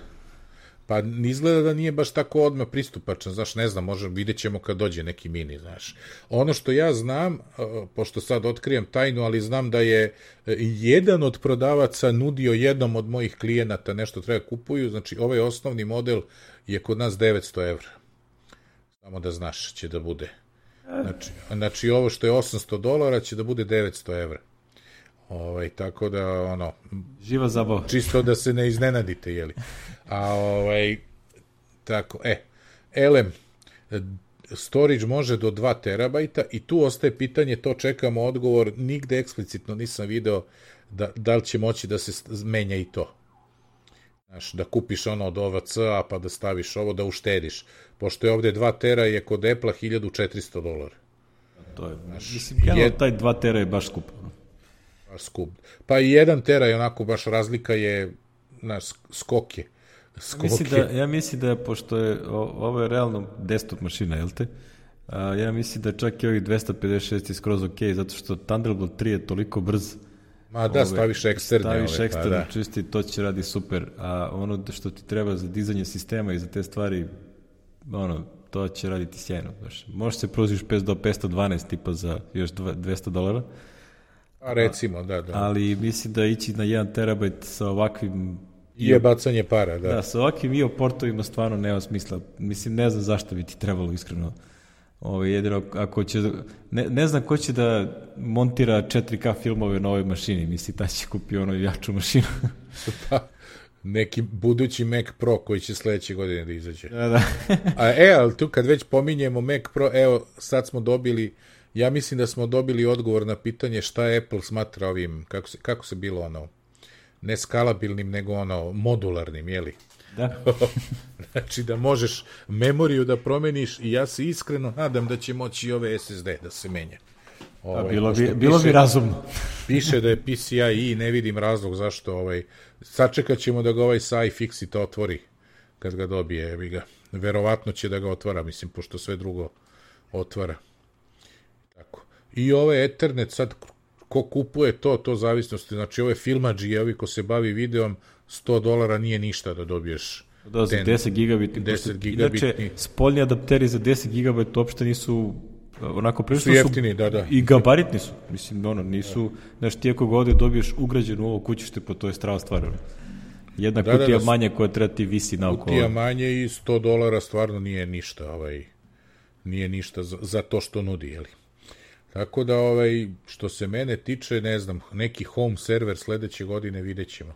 Pa izgleda da nije baš tako odmah pristupačan, znaš, ne znam, vidjet ćemo kad dođe neki mini, znaš. Ono što ja znam, pošto sad otkrijem tajnu, ali znam da je jedan od prodavaca nudio jednom od mojih klijenata nešto treba kupuju, znači ovaj osnovni model je kod nas €900. Samo da znaš, će da bude. Znači ovo što je $800 će da bude €900. Tako da, živa zabava. Čisto da se ne iznenadite, jeli. Tako, LM, storage može do 2 terabajta i tu ostaje pitanje, to čekamo odgovor, nigde eksplicitno nisam video da li će moći da se menja i to. Znaš, da kupiš ono od OVC-a pa da staviš ovo, da uštediš. Pošto je ovde 2 tera je kod Apple-a $1400. To je, mislim, taj 2 tera je baš skup. Skup. Pa i 1 tera je onako baš razlika je skoke. Ja mislim da pošto je ovo je realno desktop mašina, jel te? Ja mislim da čak i ovih 256 je skroz ok, zato što Thunderbolt 3 je toliko brz. Ma da, staviš eksterne. Staviš eksterne, čisti, to će radi super. A ono što ti treba za dizanje sistema i za te stvari, to će raditi sjajno. Možeš se pružiš do 512 tipa za još $200. A recimo, da. Ali mislim da ići na 1 terabajt sa ovakvim... Je bacanje para, da. Da, sa ovakvim IO portovima stvarno nema smisla. Mislim, ne znam zašto bi ti trebalo iskreno. Jedino, ako će... Ne znam ko će da montira 4K filmove na ovoj mašini. Mislim, ta će kupi jaču mašinu. Pa, neki budući Mac Pro koji će sledeće godine da izađe. Da. Ali tu kad već pominjemo Mac Pro, evo, sad smo dobili... Ja mislim da smo dobili odgovor na pitanje šta Apple smatra ovim, kako se bilo ne skalabilnim, nego modularnim, jeli? Da. Znači da možeš memoriju da promeniš i ja se iskreno nadam da će moći i ove SSD da se menja. Bilo bi razumno. Piše da je PCIe i ne vidim razlog zašto sačekat ćemo da ga ovaj sa iFixit otvori kad ga dobije, Verovatno će da ga otvara, mislim, pošto sve drugo otvara. Tako. I ove Ethernet sad, ko kupuje to zavisnosti, znači ove filmadžije, ovi ko se bavi videom, $100 nije ništa da dobiješ. Da, za 10 gigabitni. 10 gigabitni. Inače, spoljni adapteri za 10 gigabit uopšte nisu onako prilično su jeftini, da. I gabaritni su. Mislim, nisu, znaš, ti ako ga ovde dobiješ ugrađenu ovo kućište, pa to je strava stvar. Jedna kutija manje koja treba ti visi naoko. Kutija manje i $100 stvarno nije ništa, nije ništa za to što nudi, jeli. Tako da, što se mene tiče, ne znam, neki home server sledeće godine vidjet ćemo.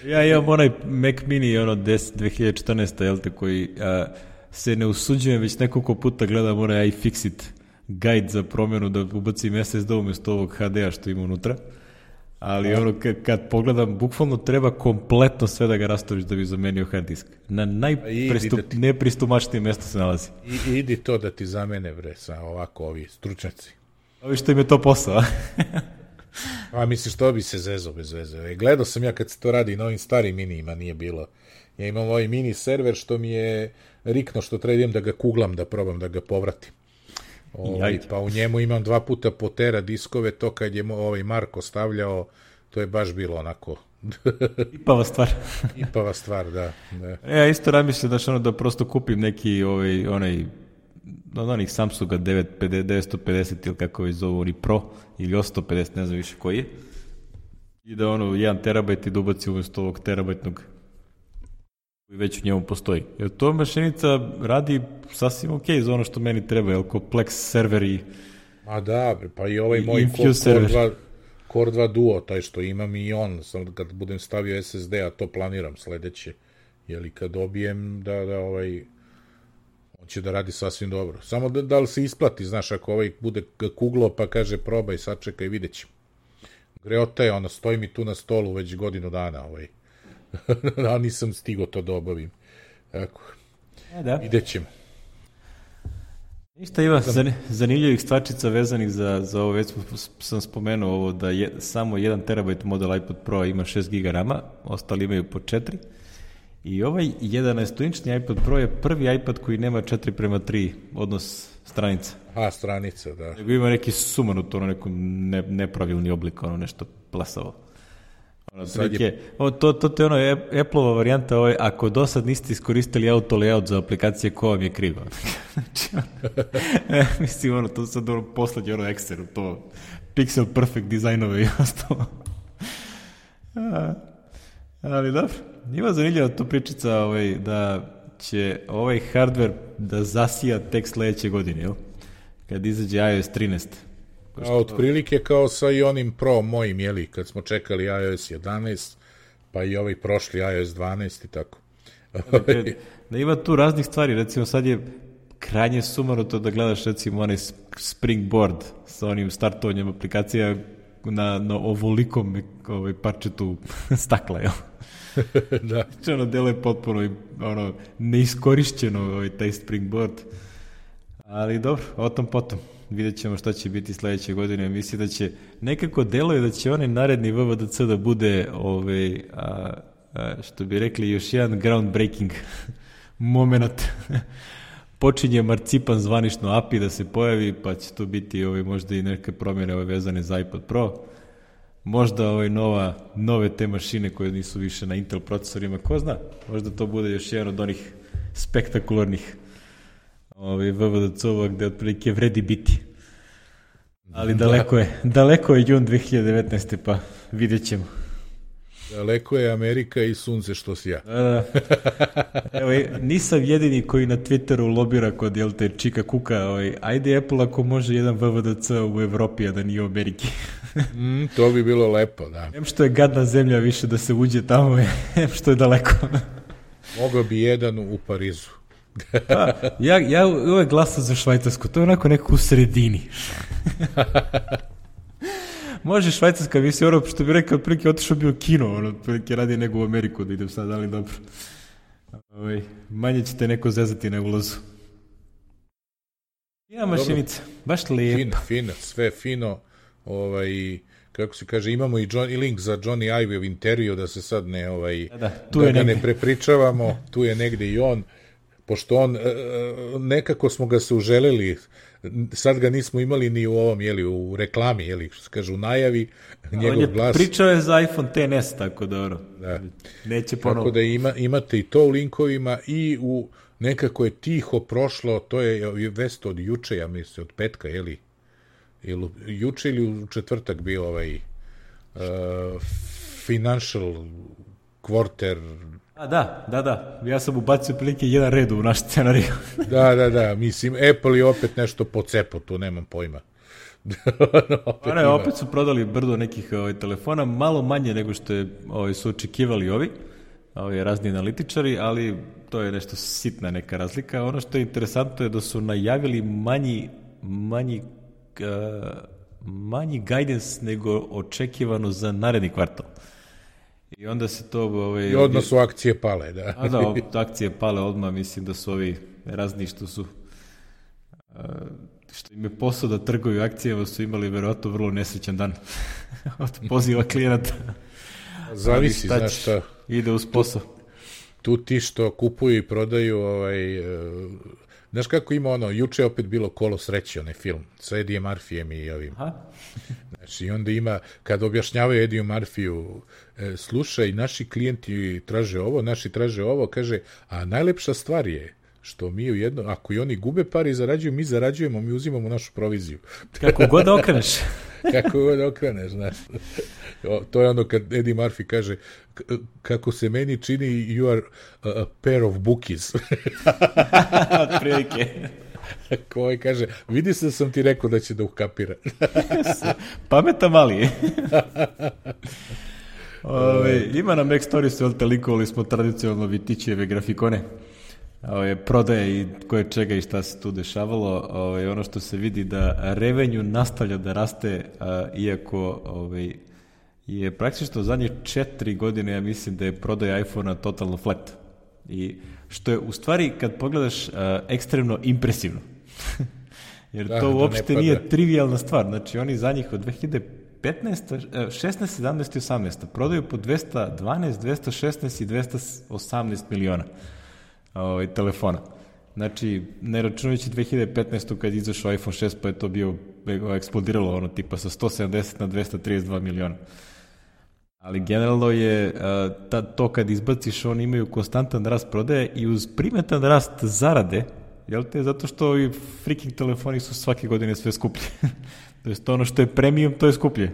Ja imam onaj Mac Mini, 2014. jel te, koji se ne usuđujem, već nekoliko puta gledam onaj iFixit guide za promjenu da ubacim SSD umjesto ovog HD-a što ima unutra. Ali kad pogledam, bukvalno treba kompletno sve da ga rastoriš da bi zamenio hard disk. Na najnepristumačnijem mjestu se nalazi. Idi to da ti zamene, bre, sa ovako ovi stručnjaci. Ovi što im je to posao. A misliš, to bi se zezo bez veze. Gledao sam ja kad se to radi na ovim starim minijima, nije bilo. Ja imam ovaj mini server što mi je rikno što treba idem da ga kuglam, da probam da ga povratim. Pa u njemu imam 2 puta po tera diskove, to kad je Marko stavljao, to je baš bilo onako... Ipava stvar, da. Ja isto razmišljam da prosto kupim neki onaj od onih Samsunga 950 ili kako već zovu, oni Pro ili 850, ne znam više koji je, i da 1 terabajt i da ubaci umjesto ovog terabajtnog koji već u njemu postoji. Jer to mašinica radi sasvim ok za ono što meni treba, jer kompleks server i a da, pa i ovaj moj Core 2 Duo, taj što imam i on, sam kad budem stavio SSD, a to planiram sledeće, jeli kad dobijem da on će da radi sasvim dobro. Samo da li se isplati, znaš, ako bude kuglo pa kaže probaj, sačekaj, vidjet ćemo. Greota je, stoji mi tu na stolu već godinu dana, a nisam stigao to da obavim. Tako, vidjet ćemo. Ništa, ima zanimljivih stvarčica vezanih za ovo, već sam spomenuo ovo da samo 1 terabajt model iPad Pro ima 6 GB RAM-a, ostali imaju po 4. I ovaj 11-inčni iPad Pro je prvi iPad koji nema 4:3 odnos stranica. Stranica, da. Nego ima neki sumanut, neko nepravilni oblik, nešto plasavo. To je Apple-ova varijanta, ako do sad niste iskoristili auto layout za aplikacije, ko vam je krivo? Mislim, to sad poslednje Excel, to pixel perfect dizajnove i ostalo. Ali dobro, ima zanimljiva to pričica da će ovaj hardware da zasija tek sledeće godine, jel? Kad izađe iOS 13. A otprilike kao sa i onim Pro mojim, jeli, kad smo čekali iOS 11, pa i ovaj prošli iOS 12 i tako. Da ima tu raznih stvari, recimo sad je krajnje sumanuto da gledaš recimo onaj Springboard sa onim startovanjem aplikacija na ovolikom parčetu stakla, jel? Da. Ono deluje potpuno neiskorišćeno taj Springboard. Ali dobro, o tom potom. Vidjet ćemo šta će biti sledeće godine. Mislim da će, nekako deluje da će onaj naredni VVDC da bude, što bi rekli, još jedan groundbreaking moment. Počinje marcipan zvanično API da se pojavi, pa će to biti možda i neke promjene vezane za iPad Pro. Možda nove te mašine koje nisu više na Intel procesorima, ko zna, možda to bude još jedan od onih spektakularnih VVDC-ova gde otprilike vredi biti. Ali daleko je jun 2019. pa vidjet ćemo. Daleko je Amerika i sunce što sja. Evo, nisam jedini koji na Twitteru lobira kod Čika Kuka. Ajde Apple ako može jedan VVDC u Evropi, a da nije u Ameriki. To bi bilo lepo, da. Em što je gadna zemlja više da se uđe tamo, em što je daleko. Mogao bi jedan u Parizu. Ja uvek glasam za Švajcarsku, to je onako nekako u sredini. Može Švajcarska, mislim, što bi rekao, otprilike otišao bio kino, otprilike radi nego u Ameriku da idem sad, ali dobro. Manje ćete neko zezati na ulazu. Ima mašinica, baš lijepa. Fino, sve fino, kako se kaže, imamo i link za Johnny Ive intervju, da se sad ne, da ga ne prepričavamo, tu je negde i on. pošto on, nekako smo ga se uželeli, sad ga nismo imali ni u ovom, u reklami, što se kaže, u najavi, njegov glas. Pričao je za iPhone XS, tako dobro. Da. Neće ponovo. Tako da imate i to u linkovima i nekako je tiho prošlo, to je vest od juče, ja mislim, od petka, juče ili u četvrtak bio financial quarter. Da. Ja sam ubacio prilike jedan red u naš scenariju. Da. Mislim, Apple je opet nešto pocepo, tu nemam pojma. Opet su prodali brdo nekih telefona, malo manje nego što su očekivali ovi razni analitičari, ali to je nešto sitna neka razlika. Ono što je interesantno je da su najavili manji guidance nego očekivano za naredni kvartal. I onda se to... I odmah su akcije pale, da. Akcije pale odmah, mislim da su ovi razni što im je posao da trguju akcijama, su imali verovatno vrlo nesrećan dan od poziva klijenata. Zavisi, znaš šta. Ide uz posao. Tu ti što kupuju i prodaju, znaš kako ima juče je opet bilo Kolo sreće, onaj film, sa Eddie Murphyjem i ovim. Znači, i onda ima, kad objašnjavaju Eddie Murphyu, slušaj, naši klijenti traže ovo, kaže, a najlepša stvar je što mi ako i oni gube pare i zarađuju, mi zarađujemo, mi uzimamo našu proviziju. Kako god okreneš. Kako god okreneš, znaš. To je kad Eddie Murphy kaže, kako se meni čini, you are a pair of bookies. Otprilike. Koji kaže, vidi se da sam ti rekao da će da ukapira. Pametan mali je. Ima na Mac Storiesu, likovali smo tradicionalno Vitićeve grafikone. Prodaje i koje čega i šta se tu dešavalo. Ono što se vidi da revenju nastavlja da raste, iako je praktično zadnje 4 godine, ja mislim da je prodaja iPhone-a totalno flat. I što je u stvari, kad pogledaš, ekstremno impresivno. Jer to uopšte nije trivialna stvar. Znači, oni za njih od 2015, 16, 17 i 18 prodaju po 212, 216 i 218 miliona telefona. Znači, ne računajući 2015. kad izašao iPhone 6, pa je to eksplodiralo tipa sa 170 na 232 miliona. Ali generalno je to kad izbaciš, oni imaju konstantan rast prodaje i uz primetan rast zarade, zato što ovi freaking telefoni su svake godine sve skuplje. To je ono što je premium, to je skuplje.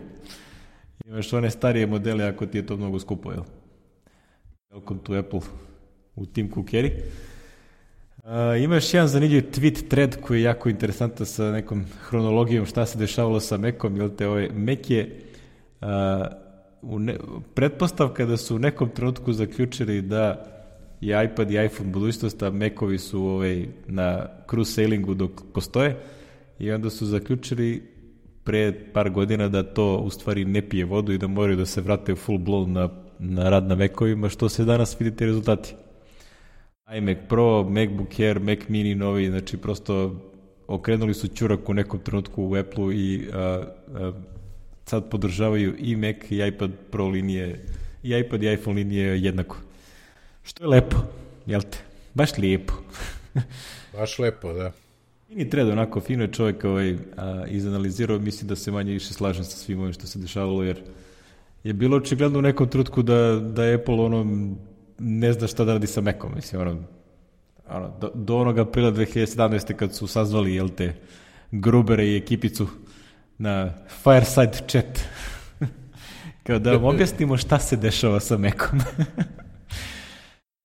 Imaš one starije modele ako ti je to mnogo skupo, Welcome to Apple u Tim Cookeri. Ima još jedan zanimljiv tweet thread koji je jako interesantan sa nekom hronologijom šta se dešavalo sa Macom, Mac je pretpostavka da su u nekom trenutku zaključili da je iPad i iPhone budućnost, a Macovi su na cruise sailingu dok postoje, i onda su zaključili pre par godina da to u stvari ne pije vodu i da moraju da se vrate full blown na rad na Macovima, što se danas vidite rezultati. iMac Pro, MacBook Air, Mac Mini novi, znači prosto okrenuli su ćurak u nekom trenutku u Apple-u i sad podržavaju i Mac i iPad Pro linije, i iPad i iPhone linije jednako. Što je lepo, jel te? Baš lijepo. Baš lepo, da. Mini Thread, onako fino je čovjek izanalizirao, mislim da se manje više slažem sa svim ovim što se dešavalo, jer je bilo očigledno u nekom trenutku da Apple ne zna šta da radi sa Macom, mislim, do onog aprila 2017. kad su sazvali, Grubere i ekipicu na Fireside chat. Kao da vam objasnimo šta se dešava sa Macom.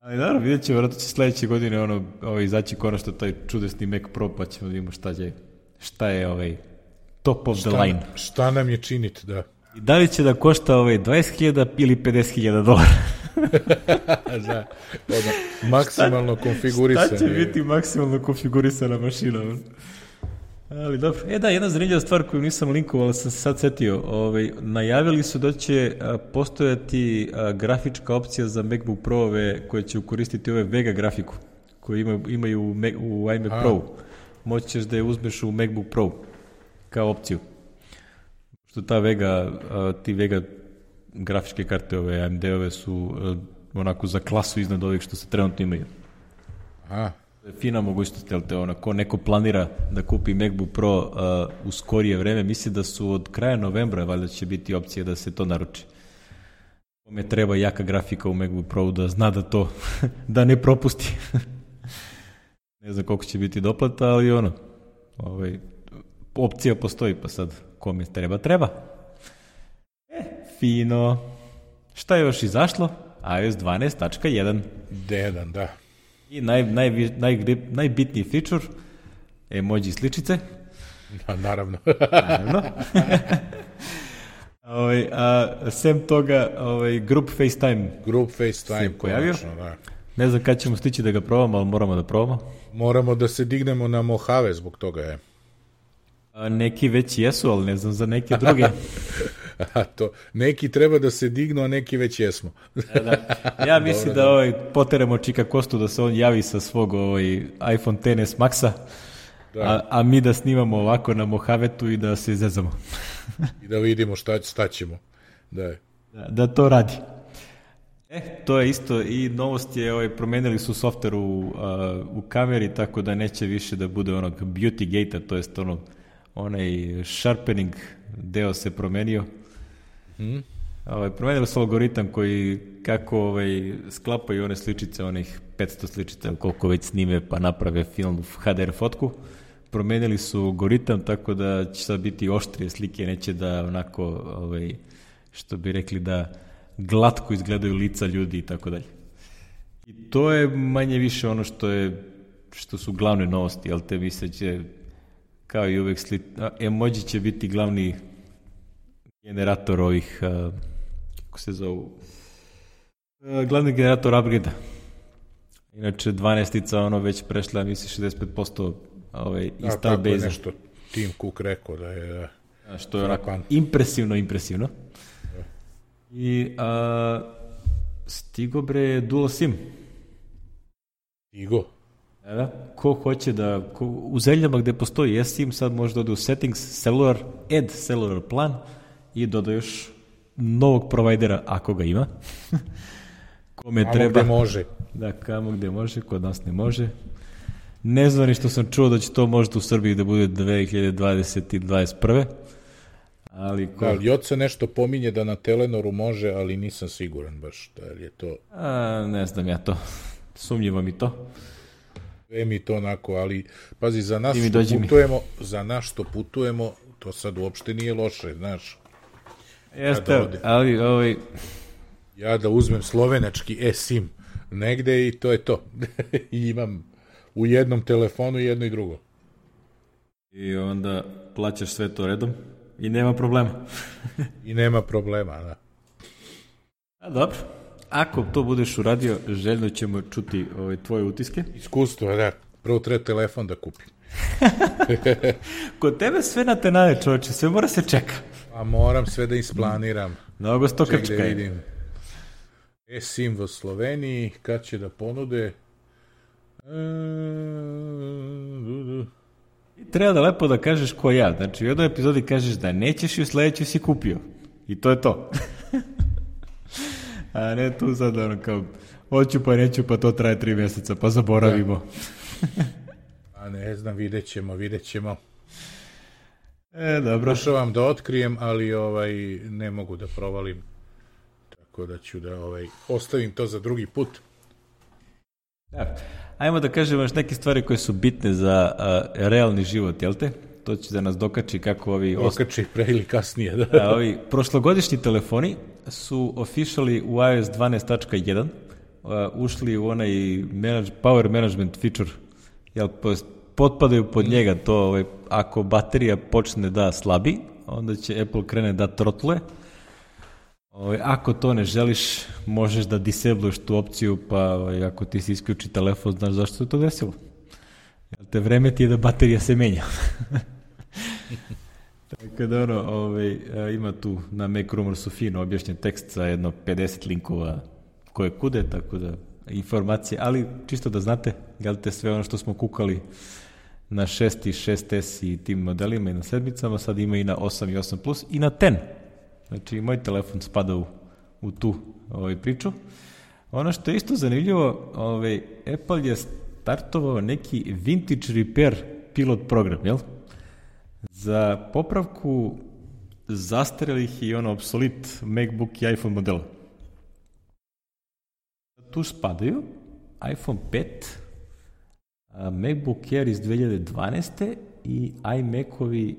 Ali naravno, vidjet će, vjerojatno će sledeće godine izaći konačno taj čudesni Mac Pro, pa ćemo da vidimo šta je top of the line. Šta nam je činiti, da. I da li će da košta 20.000 ili $50.000? Da, maksimalno konfigurisano. Šta će biti maksimalno konfigurisana mašina? Ali dobro. Jedna zanimljiva stvar koju nisam linkovao, ali sam se sad setio. Najavili su da će postojati grafička opcija za MacBook Pro-ove koje će koristiti ove Vega grafiku koju imaju u iMac Pro. Moći ćeš da je uzmeš u MacBook Pro kao opciju. Što ta ti Vega grafičke karte, ove AMD-ove su onako za klasu iznad ovih što se trenutno imaju. Fina mogućnost, jel te, ko neko planira da kupi MacBook Pro u skorije vreme, misli da su od kraja novembra, valjda će biti opcija da se to naruči. Kome treba jaka grafika u MacBook Pro da zna da to, da ne propusti. Ne znam koliko će biti doplata, ali opcija postoji, pa sad kome treba. Fino. Šta je još izašlo? iOS 12.1. D1, da. I najbitniji feature, emoji sličice. Naravno. Sem toga, Group FaceTime. Group FaceTime se pojavio. Konačno, da. Ne znam kad ćemo stići da ga probamo, ali moramo da probamo. Moramo da se dignemo na Mojave zbog toga je. Neki već jesu, ali ne znam za neke druge. Neki treba da se dignu, a neki već jesmo. Da. Ja mislim da poteremo Čika Kostu da se on javi sa svog iPhone XS Maxa, a mi da snimamo ovako na Mohavetu i da se izezamo. I da vidimo šta ćemo. Da to radi. To je isto i novost je, promenili su softver u kameri, tako da neće više da bude onog beauty gate-a, to jest onaj sharpening deo se promenio. Promenili su algoritam koji kako sklapaju one sličice, onih 500 sličica, koliko već snime pa naprave film HDR fotku. Promenili su algoritam tako da će sad biti oštrije slike, neće da onako, što bi rekli, da glatko izgledaju lica ljudi i tako dalje. I to je manje više ono što su glavne novosti, jel te misleće, kao i uvek emoji će biti glavni generator ovih, kako se zovu, glavni generator upgrade-a. Inače, 12-ica već prešla, misli, 65% install base. Tako je nešto Tim Cook rekao da je... Što je onako impresivno. I stigo bre dual SIM. Stigo? Da, ko hoće u zemljama gde postoji eSIM, sad može da ode u settings, add cellular plan i doda još novog provajdera ako ga ima. Kome treba. Gde može. Da, kamo gde može, kod nas ne može. Ne znam ni što sam čuo da će to možda u Srbiji da bude 2020 i 2021. Ali Joca nešto pominje da na Telenoru može, ali nisam siguran baš da je to... Ne znam ja to. Sumnjivo mi to. Sve mi to onako, ali pazi, za nas što putujemo, to sad uopšte nije loše, znaš. Jeste, ali ja da uzmem slovenački eSIM negde i to je to. I imam u jednom telefonu jedno i drugo. I onda plaćaš sve to redom i nema problema. I nema problema, da. Dobro. Ako to budeš uradio, željno ćemo čuti tvoje utiske. Iskustvo, da. Prvo treba telefon da kupim. Kod tebe sve na tenane, čovječe, sve mora se čeka. A moram sve da isplaniram. Mnogo stokačka je. Vidim. eSIM u Sloveniji, kad će da ponude? Treba da lepo da kažeš ko ja. Znači, u jednoj epizodi kažeš da nećeš i u sledećoj si kupio. I to je to. A ne tu sad kao hoću pa neću pa to traje 3 mjeseca pa zaboravimo. A ne znam, vidjet ćemo. Dobro. Pokušavam da otkrijem, ali ne mogu da provalim. Tako da ću da ostavim to za drugi put. Da. Ajmo da kažemo još neke stvari koje su bitne za realni život, jel te? To će da nas dokači kako ovi... Dokači pre ili kasnije, da. Ovi prošlogodišnji telefoni su officially u iOS 12.1 ušli u onaj power management feature, jel, potpadaju pod njega to, ako baterija počne da slabi, onda će Apple krene da trotluje. Ako to ne želiš, možeš da disabluješ tu opciju, pa ako ti se isključi telefon, znaš zašto se to desilo. Jel te vreme ti je da baterija se menja. Tako da ima tu na Mac Rumorsu fino objašnjen tekst sa jedno 50 linkova koje kude, tako da informacije, ali čisto da znate, jel te sve ono što smo kukali na 6 i 6S i tim modelima i na 7-icama, sad ima i na 8 i 8 Plus i na 10. Znači, moj telefon spada u tu priču. Ono što je isto zanimljivo, Apple je startovao neki vintage repair pilot program, jel? Za popravku zastarelih i obsolit MacBook i iPhone modela. Tu spadaju iPhone 5, MacBook Air iz 2012. i iMac-ovi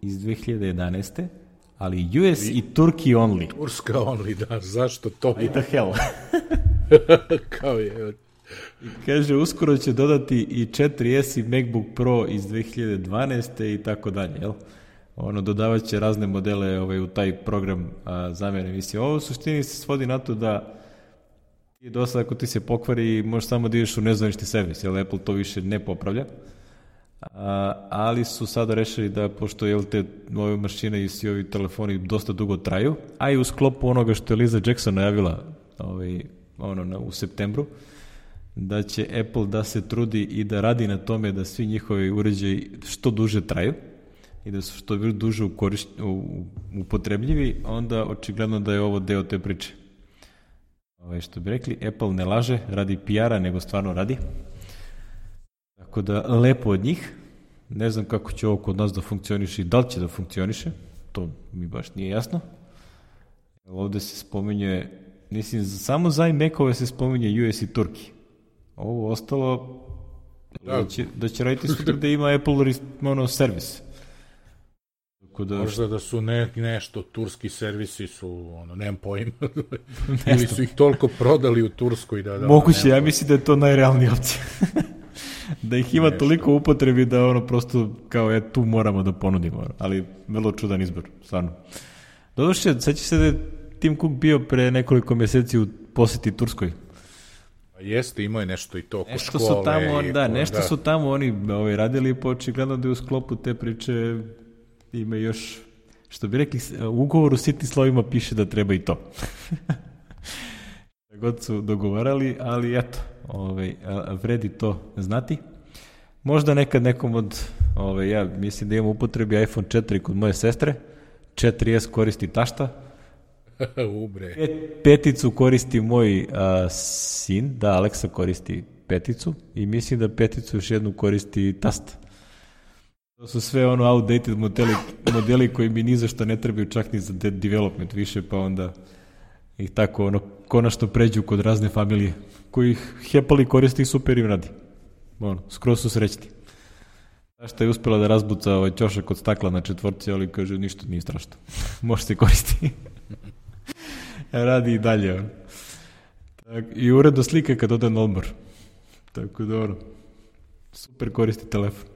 iz 2011. ali US i Turkey only. Turska only, da, zašto to? What the hell? Kao je. I kaže, uskoro će dodati i 4S i MacBook Pro iz 2012. i tako dalje, jel? Dodavat će razne modele u taj program zamjene emisije. Ovo u suštini se svodi na to da i do sada ako ti se pokvari, možeš samo da ideš u nezvanični servis, jer Apple to više ne popravlja. Ali su sada rešili da, pošto te nove mašine i svi ovi telefoni dosta dugo traju, a i u sklopu onoga što je Liza Jackson najavila u septembru, da će Apple da se trudi i da radi na tome da svi njihovi uređaji što duže traju i da su što duže upotrebljivi, onda očigledno da je ovo deo te priče. Što bi rekli, Apple ne laže, radi PR-a, nego stvarno radi. Tako da, lepo od njih. Ne znam kako će ovo kod nas da funkcioniše i da li će da funkcioniše. To mi baš nije jasno. Ovde se spominje, mislim, samo za iMac-ove se spominje US i Turki. Ovo ostalo, da će raditi sutra da ima Apple servis. Možda da su nešto, turski servisi su, nemam pojma, ili su ih toliko prodali u Turskoj da... Moguće, ja mislim da je to najrealnija opcija. Da ih ima toliko upotrebi da prosto kao tu moramo da ponudimo, ali vrlo čudan izbor, stvarno. Doduše, seća se da je Tim Cook bio pre nekoliko mjeseci u poseti Turskoj. Jeste, imao je nešto i to oko škole. Nešto su tamo oni radili, pa očigledno da je u sklopu te priče ima još, što bi rekli, u ugovoru sitnim slovima piše da treba i to. God su dogovarali, ali eto, vredi to znati. Možda nekad nekom od, ja mislim da imam upotrebi iPhone 4 kod moje sestre, 4S koristi tašta, peticu koristi moj sin, da, Aleksa koristi peticu i mislim da peticu još jednu koristi tast. To su sve outdated modeli koji mi ni za što ne trebaju čak ni za development više, pa onda ih tako konačno pređu kod razne familije koji ih hepali koristi i super im radi. Skroz su srećni. Šta je uspjela da razbuca ćošak od stakla na četvorci, ali kaže ništa nije strašno. Može se koristiti. Radi i dalje. I uredno slika kad ode na odmor. Tako da super koristi telefon.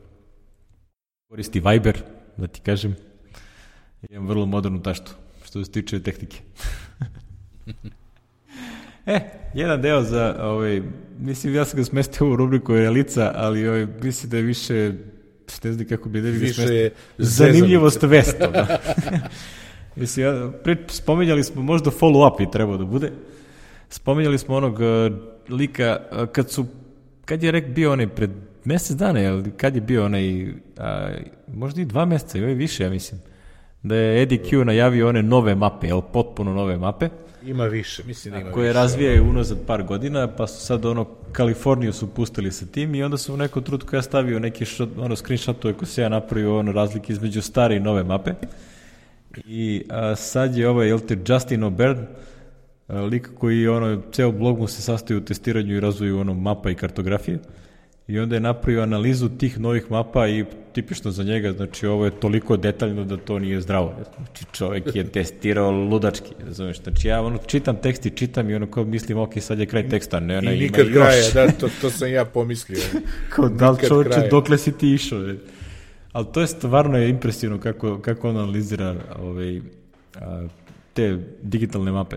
Koristi Viber, da ti kažem. Imam vrlo modernu taštu, što se tiče tehnike. Jedan deo za, mislim, ja sam ga smestio u rubriku Realica, ali mislim da je više, ne znam kako bi da smestio, zanimljivost vesta. Da. Mislim, spominjali smo, možda follow-up i trebao da bude, spominjali smo onog lika, kad je bio onaj pred mesec dana, kad je bio onaj, možda i 2 meseca, i više, ja mislim, da je Eddie Q najavio one nove mape, potpuno nove mape. Ima više, mislim da ima više. Koje razvijaju unazad par godina, pa su sad Kaliforniju su pustili sa tim i onda su u nekom trenutku ja stavio neki screenshotove koji se ja napravio razlike između stare i nove mape. I sad je Justin O'Byrne, lik koji ceo blog mu se sastoji u testiranju i razvoju mapa i kartografije. I onda je napravio analizu tih novih mapa i tipično za njega, znači ovo je toliko detaljno da to nije zdravo. Znači čovjek je testirao ludački, razumiješ? Znači ja čitam tekst i čitam i kao mislim, ok, sad je kraj teksta, ne, i nikad kraja, da, to sam ja pomislio. Kao da li čovječe, dokle si ti išao? Ali to je stvarno impresivno kako on analizira te digitalne mape.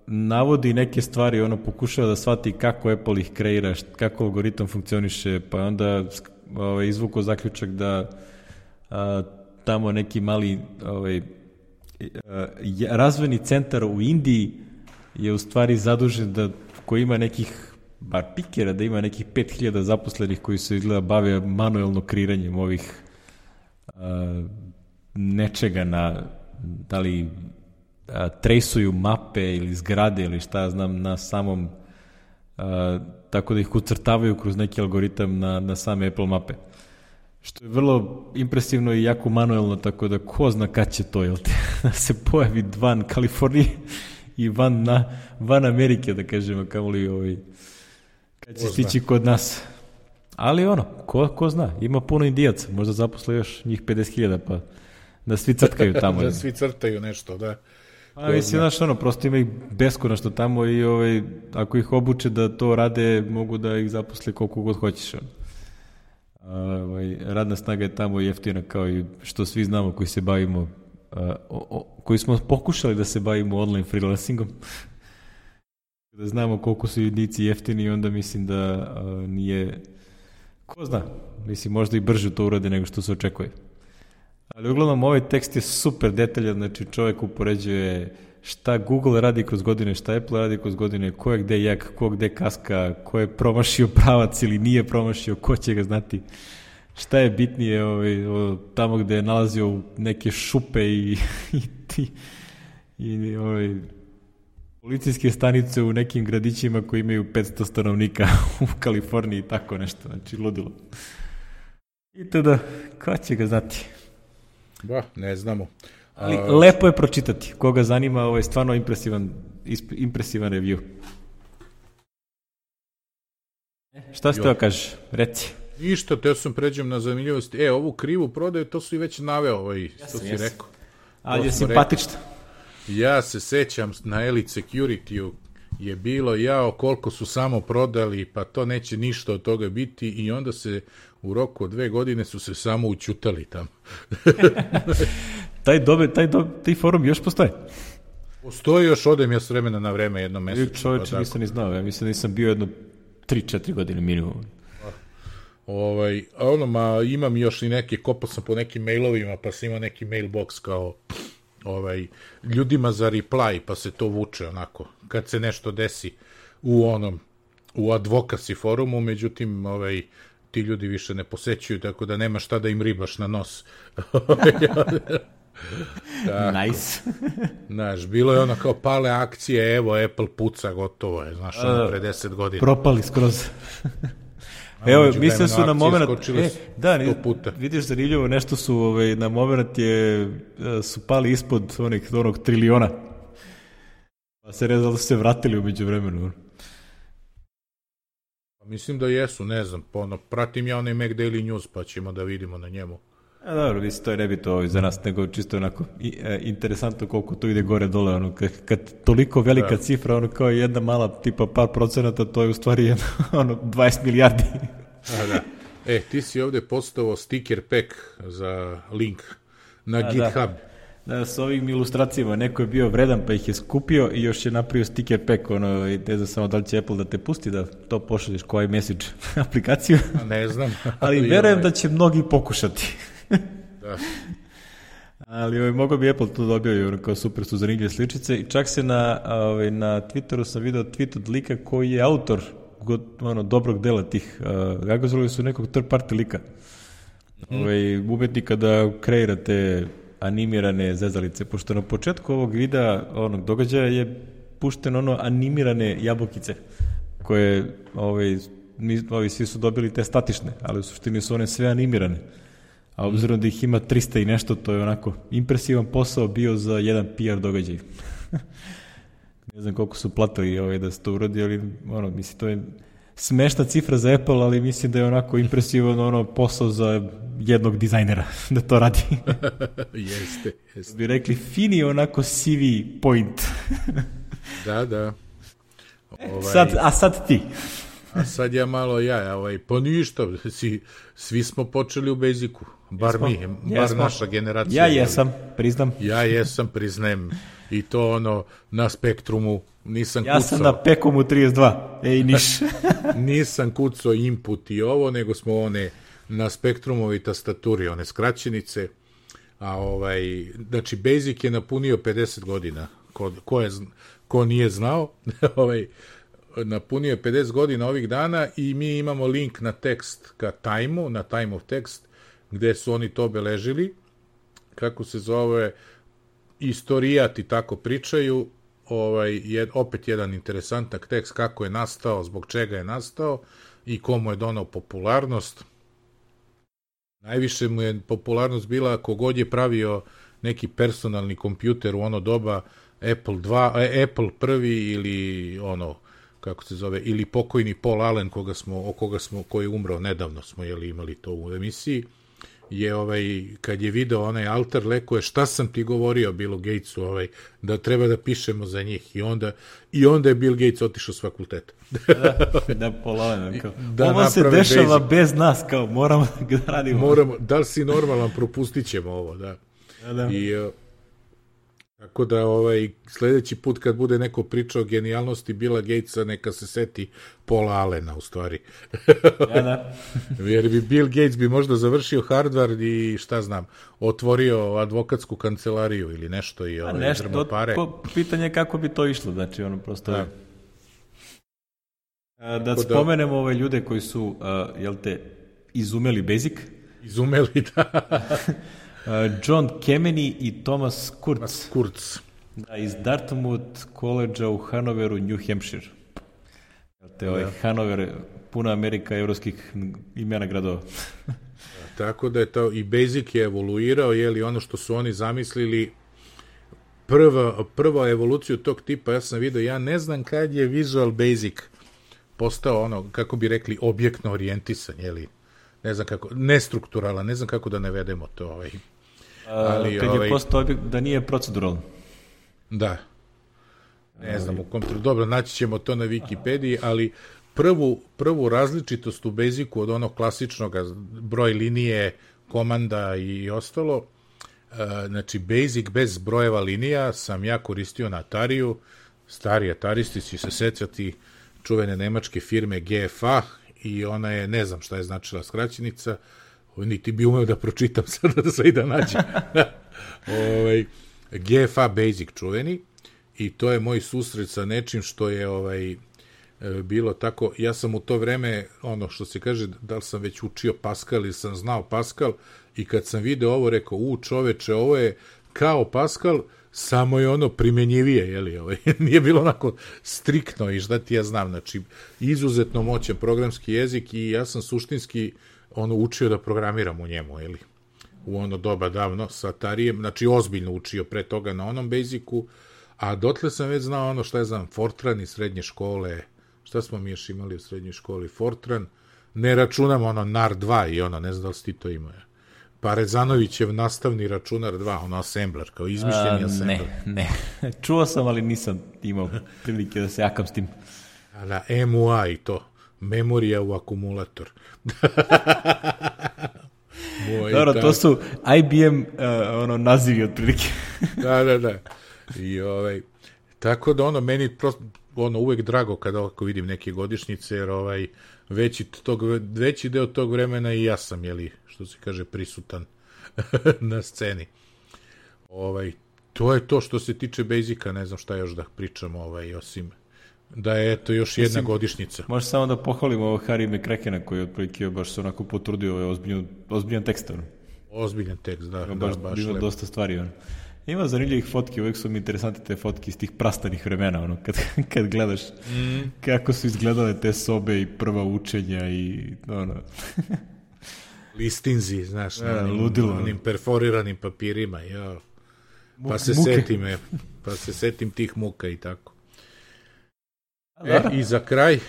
Navodi neke stvari, pokušava da shvati kako Apple ih kreira, kako algoritam funkcioniše, pa onda izvukao zaključak da tamo neki mali razvojni centar u Indiji je u stvari zadužen koji ima nekih, bar pikera, da ima nekih 5000 zaposlenih koji se izgleda bave manuelno kreiranjem ovih nečega da li trejsuju mape ili zgrade ili šta znam na samom tako da ih ucrtavaju kroz neki algoritam na same Apple mape. Što je vrlo impresivno i jako manuelno, tako da ko zna kad će to, jel te, da se pojavi van Kalifornije i van Amerike, da kažemo, kao li kad će stići kod nas. Ali ko zna, ima puno Indijaca, možda zaposle još njih 50.000, pa da svi crtkaju tamo. Da svi crtaju nešto, da. A mislim, znaš, prosto ima ih beskonačno tamo i ako ih obuče da to rade, mogu da ih zaposle koliko god hoćeš. Radna snaga je tamo jeftina, kao i što svi znamo koji se bavimo, koji smo pokušali da se bavimo online freelancingom. Da znamo koliko su jednici jeftini i onda mislim da nije, ko zna, mislim možda i brže to urade nego što se očekuje. Ali uglavnom ovaj tekst je super detaljan, znači čovjek upoređuje šta Google radi kroz godine, šta Apple radi kroz godine, ko je gde jak, ko gde kaska, ko je promašio pravac ili nije promašio, ko će ga znati. Šta je bitnije tamo gde je nalazio neke šupe i policijske stanice u nekim gradićima koji imaju 500 stanovnika u Kaliforniji i tako nešto, znači ludilo. I tada, ko će ga znati? Ne znamo. Ali lepo je pročitati. Koga zanima, ovo je stvarno impresivan review. Šta si teo kažeš? Reci. Ništa, teo sam pređem na zanimljivosti. Ovu krivu prodaju, to su i već naveo, što si rekao. Ali je simpatično. Ja se sećam na Elite Security-u je bilo, koliko su samo prodali, pa to neće ništa od toga biti i onda se u roku od 2 godine su se samo učutali tamo. Taj forum još postoje? Postoji još, odem ja s vremena na vreme jedno mesečno. Čovječe, nisam ni znao, ja mislim da nisam bio jedno 3-4 godine minimum. Imam još i neke, kopao sam po nekim mailovima, pa sam imao neki mailbox kao ljudima za reply, pa se to vuče onako, kad se nešto desi u advocacy forumu, međutim, ti ljudi više ne posećuju, tako da nema šta da im ribaš na nos. Nice. Znaš, bilo je kao pale akcije, evo, Apple puca, gotovo je, znaš, pre 10 godina. Propali skroz. Evo, mislim su na moment, vidiš zanimljivo, nešto su na moment su pali ispod onog triliona. Pa se rezalo da su se vratili umeđu vremenu. Mislim da jesu, ne znam, pratim ja onaj Mac Daily News, pa ćemo da vidimo na njemu. Dobro, mislim, to je nebito za nas, nego čisto onako interesantno koliko to ide gore dole, kad toliko velika cifra, kao jedna mala, tipa par procenata, to je u stvari 20 milijardi. Da. Ti si ovde postavio sticker pack za link na GitHub. Da, s ovim ilustracijama, neko je bio vredan pa ih je skupio i još je napravio sticker pack, ne znam samo da li će Apple da te pusti da to pošalješ kao iMessage aplikaciju. Ne znam. Ali verujem da će mnogi pokušati. Da. Ali mogao bi Apple to dobio, kao super su zanimljive sličice i čak se na Twitteru sam video tweet od lika koji je autor dobrog dela tih, gagazovali su nekog third party lika, umetnika da kreirate animirane zezalice, pošto na početku ovog videa, događaja je pušteno animirane jabukice, koje svi su dobili te statične, ali u suštini su one sve animirane. A obzirom da ih ima 300 i nešto, to je onako impresivan posao bio za jedan PR događaj. Ne znam koliko su platili da se to uradi, ali mislim, to je smešna cifra za Apple, ali mislim da je onako impresivan posao za jednog dizajnera da to radi. Jeste. Bi rekli, fini onako CV point. Da. Sad ti. A sad ja malo pa ništa, svi smo počeli u Basicu, bar naša generacija. Ja jesam, priznam. Ja jesam, priznajem, i to na Spektrumu nisam kucao. Ja sam na Pekomu 32, niš. Nisam kucao input i ovo, nego smo na Spektrumovi tastaturi, one skraćenice, znači Basic je napunio 50 godina, ko nije znao, napunio je 50 godina ovih dana i mi imamo link na tekst ka Time-u, na Time of Text, gde su oni to obeležili, kako se zove, istorijati tako pričaju, opet jedan interesantan tekst kako je nastao, zbog čega je nastao i komu je donao popularnost. Najviše mu je popularnost bila kogod je pravio neki personalni kompjuter u ono doba, Apple prvi ili kako se zove, ili pokojni Paul Allen koji je umro nedavno, smo imali to u emisiji, je kad je video onaj altar, leko je šta sam ti govorio Billu Gatesu, da treba da pišemo za njih, i onda je Bill Gates otišao s fakulteta. Da Paul kao, ovo se dešava bez nas, kao moramo da radimo. Da li si normalan, propustit ćemo ovo, da. Tako da sledeći put kad bude neko pričao o genijalnosti Billa Gatesa, neka se seti Paula Allena u stvari. Jer bi Bill Gates bi možda završio Harvard i šta znam, otvorio advokatsku kancelariju ili nešto i drmo pare. Pitanje kako bi to išlo, znači prosto da spomenemo ove ljude koji su izumeli Basic. Izumeli, da. John Kemeny i Thomas Kurtz. Da, iz Dartmouth College-a u Hanoveru, New Hampshire. Hanover, puna Amerika evropskih imena gradova. Tako da je to, i Basic je evoluirao, ono što su oni zamislili, prva evoluciju tog tipa, ja sam vidio, ja ne znam kad je Visual Basic postao kako bi rekli, objektno orijentisan, ne znam kako, nestrukturalan, ne znam kako da navedemo to. Ali, kad je postao da nije proceduralan. Da. Ne znam u kom trenutku. Dobro, naći ćemo to na Wikipediji, ali prvu različitost u Basicu od onog klasičnog broj linije, komanda i ostalo, znači Basic bez brojeva linija sam ja koristio na Atariju. Stari Ataristi će se sećati čuvene nemačke firme GFA, i ona je, ne znam šta je značila skraćenica, niti bi umeo da pročitam sada da sve i da nađem. GFA Basic čuveni, i to je moj susret sa nečim što je bilo tako, ja sam u to vreme, što se kaže, da li sam već učio Pascal ili sam znao Pascal, i kad sam video ovo, rekao, čoveče, ovo je kao Pascal, samo je primenjivije, nije bilo onako striktno i šta ti ja znam, znači, izuzetno moćan programski jezik i ja sam suštinski učio da programiram u njemu, u ono doba davno sa Atarijem, znači ozbiljno učio pre toga na onom Basicu, a dotle sam već znao šta je znam, Fortran iz srednje škole, šta smo mi još imali u srednjoj školi, Fortran, ne računam NAR 2 i ne znam da li si ti to imao. Pa Rezanovićev nastavni računar 2, assembler, kao izmišljeni assembler. Ne. Čuo sam, ali nisam imao prilike da se jakam s tim. Da, MUA i to. Memorija u akumulator. Dobro, to su IBM nazivi otprilike. Da. I tako da meni prosto uvek drago kada vidim neke godišnjice, jer veći deo tog vremena i ja sam, što se kaže, prisutan na sceni. To je to što se tiče Basica, ne znam šta još da pričamo, osim da je to još jedna godišnjica. Može samo da pohvalimo Harry McCrackena koji je otprilike baš se onako potrudio ozbiljan tekst. Ozbiljan tekst, da. Baš bilo dosta stvari. Ima zanimljivih fotki, uvek su mi interesantne te fotke iz tih prastanih vremena, kad gledaš kako su izgledale te sobe i prva učenja i listinzi, znaš, ludilo, onim perforiranim papirima, pa se setim tih muka i tako. I za kraj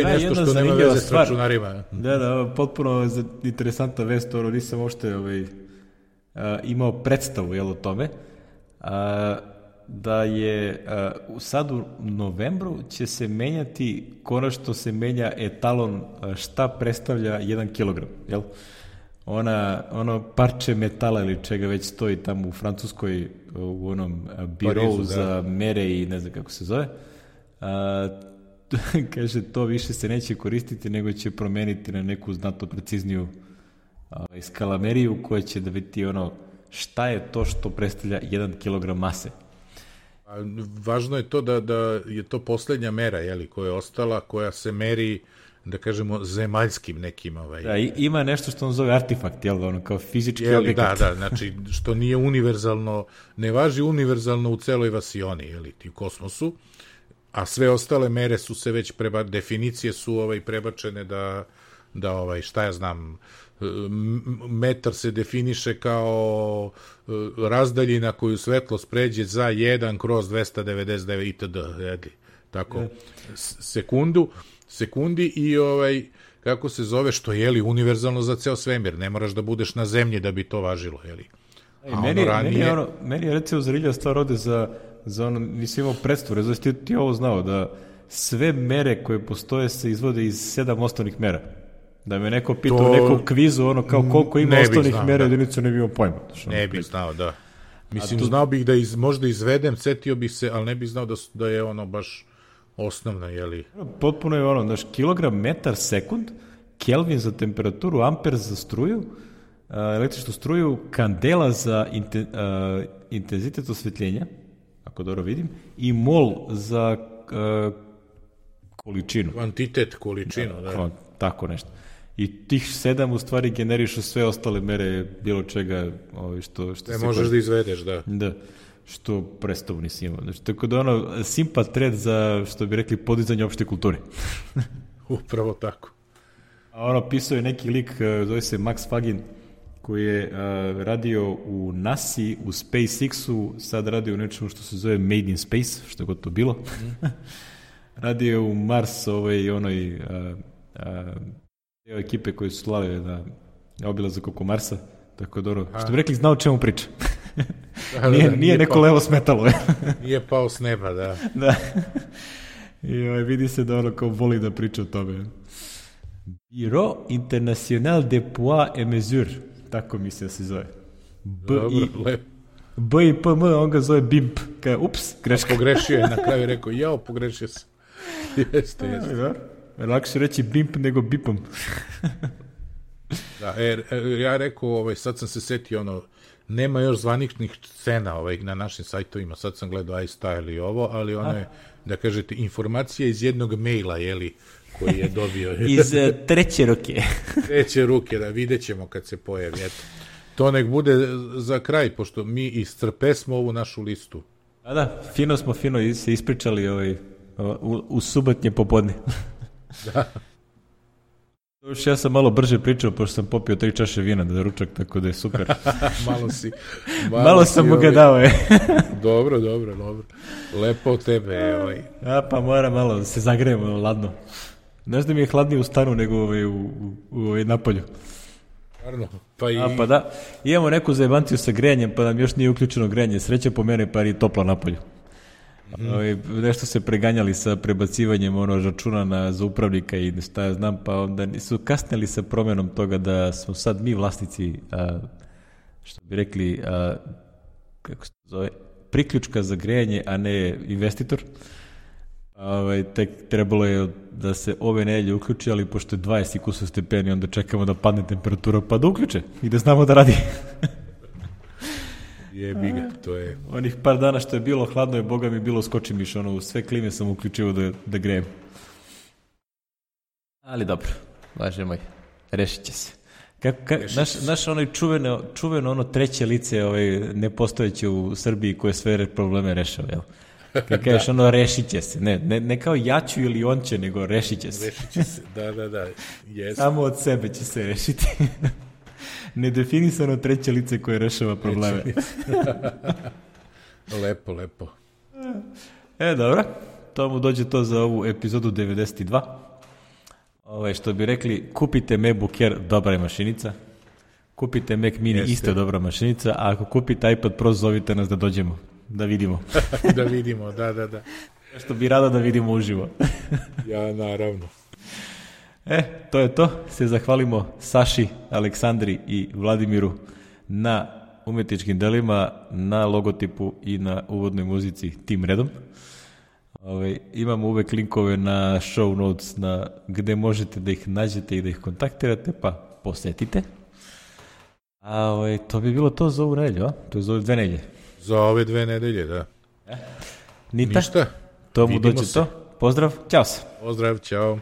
nešto što nema veze s računarima. Da, potpuno interesantna vest, nisam uopšte imao predstavu o tome, da je sad u novembru će se menjati, konačno se menja etalon šta predstavlja 1 kilogram, jel? Ono parče metala ili čega već stoji tamo u Francuskoj u onom birovu za mere i ne znam kako se zove, kaže to više se neće koristiti nego će promeniti na neku znatno precizniju skalameriju koja će da biti šta je to što predstavlja 1 kilogram mase. Važno je to da je to poslednja mera koja je ostala, koja se meri da kažemo, zemaljskim nekim Da, ima nešto što on zove artefakt, jel, ono, kao fizički objekat. Da, znači, što nije univerzalno, ne važi univerzalno u celoj vasioni, jel, u kosmosu, a sve ostale mere su se već definicije su prebačene da šta ja znam, metar se definiše kao razdaljina koju svetlost pređe za 1/299 itd. Tako, sekundi i kako se zove, što je univerzalno za ceo svemir, ne moraš da budeš na zemlji da bi to važilo, jeli. Meni je recimo zrilja stvar ovde za ono, nisi imao predstavu, znači ti ovo znao, da sve mere koje postoje se izvode iz 7 osnovnih mera. Da me neko pitao u nekom kvizu, ono kao koliko ima osnovnih mera jedinica, ne bi imao pojma. Ne bih znao, da. Mislim, znao bih da možda izvedem, setio bih se, ali ne bih znao da je ono baš osnovna, jeli. Potpuno je ono, znaš, kilogram, metar, sekund, Kelvin za temperaturu, amper za struju, električnu struju, kandela za intenzitet osvetljenja, ako dobro vidim, i mol za količinu. Kvantitet, količinu, da. Tako nešto. I tih 7 u stvari generišu sve ostale mere bilo čega što ne možeš da izvedeš, da. Da, što predstavu nisi imao. Znači, tako da ono, simpa tred za, što bi rekli, podizanje opšte kulture. Upravo tako. A ono, pisao je neki lik, zove se Max Fagin, koji je radio u NASA, u SpaceX-u, sad radio u nečemu što se zove Made in Space, što je god to bilo. Radio je u Mars, deo ekipe koji su slale na obilazak oko Marsa, tako da što bi rekli, znao o čemu priča. Nije neko levo smetalo. Nije pao s neba, da. Da. I vidi se da ono kao voli da priča o tome. Bureau International de Poids et Mesure, tako mislim da se zove. B i P M, on ga zove BIMP. Ups, greška. Pogrešio je, na kraju rekao, pogrešio se. Jeste. Lakše reći BIMP nego BIPom. Da, ja rekao, sad sam se setio, nema još zvaničnih scena na našim sajtovima, sad sam gledao iStyle i ovo, ali ono je, da kažete, informacija iz jednog maila, jeli, koji je dobio. Iz treće ruke. Treće ruke, da, vidjet ćemo kad se pojavi, eto. To nek bude za kraj, pošto mi iscrpesmo ovu našu listu. A da, fino se ispričali u subotnje popodne. Da. Ja sam malo brže pričao, pošto sam popio 3 čaše vina za ručak, tako da je super. Malo sam mu ga dao, Dobro. Lepo od tebe, pa mora malo se zagrejemo ladno. Znaš da mi je hladnije u stanu nego u napolju. Pa da, imamo neku zajebanciju sa grejanjem, pa nam još nije uključeno grejanje. Sreća po mene, pa je toplo napolju. Nešto se preganjali sa prebacivanjem računa za upravnika i šta ja znam, pa onda su kasnili sa promjenom toga da smo sad mi vlasnici, što bi rekli, kako se zove, priključka za grejanje, a ne investitor. Tek trebalo je da se ove nedelje uključi, ali pošto je 20 kusur stepeni, onda čekamo da padne temperatura pa da uključe i da znamo da radi. Jebiga, to je... Onih par dana što je bilo hladno je, boga mi bilo skoči miš, u sve klime sam uključio da grejem. Ali dobro, važe moj, rešit će se. Naš onaj čuveno ono treće lice nepostojeće u Srbiji koje sve probleme rešava, jel? Kad kažeš rešit će se, ne kao ja ću ili on će, nego rešit će se. Rešit će se, da, jesmo. Samo od sebe će se rešiti. Nedefinisano treće lice koje rešava probleme. Lepo. Dobro, to mu dođe to za ovu epizodu 92. Što bi rekli, kupite MacBook Air, dobra je mašinica. Kupite Mac Mini, isto dobra mašinica. A ako kupite iPad Pro, zovite nas da dođemo, da vidimo. Da vidimo, da. Što bi rado da vidimo uživo. Ja, naravno. To je to. Se zahvalimo Saši, Aleksandri i Vladimiru na umetničkim delima, na logotipu i na uvodnoj muzici tim redom. Imamo uvek linkove na show notes gde možete da ih nađete i da ih kontaktirate, pa posetite. A to bi bilo to za ovu nedelju, a? To je za ove 2 nedelje. Za ove 2 nedelje, da. Ništa. To mu dođe to. Pozdrav, ćao se. Pozdrav, ćao.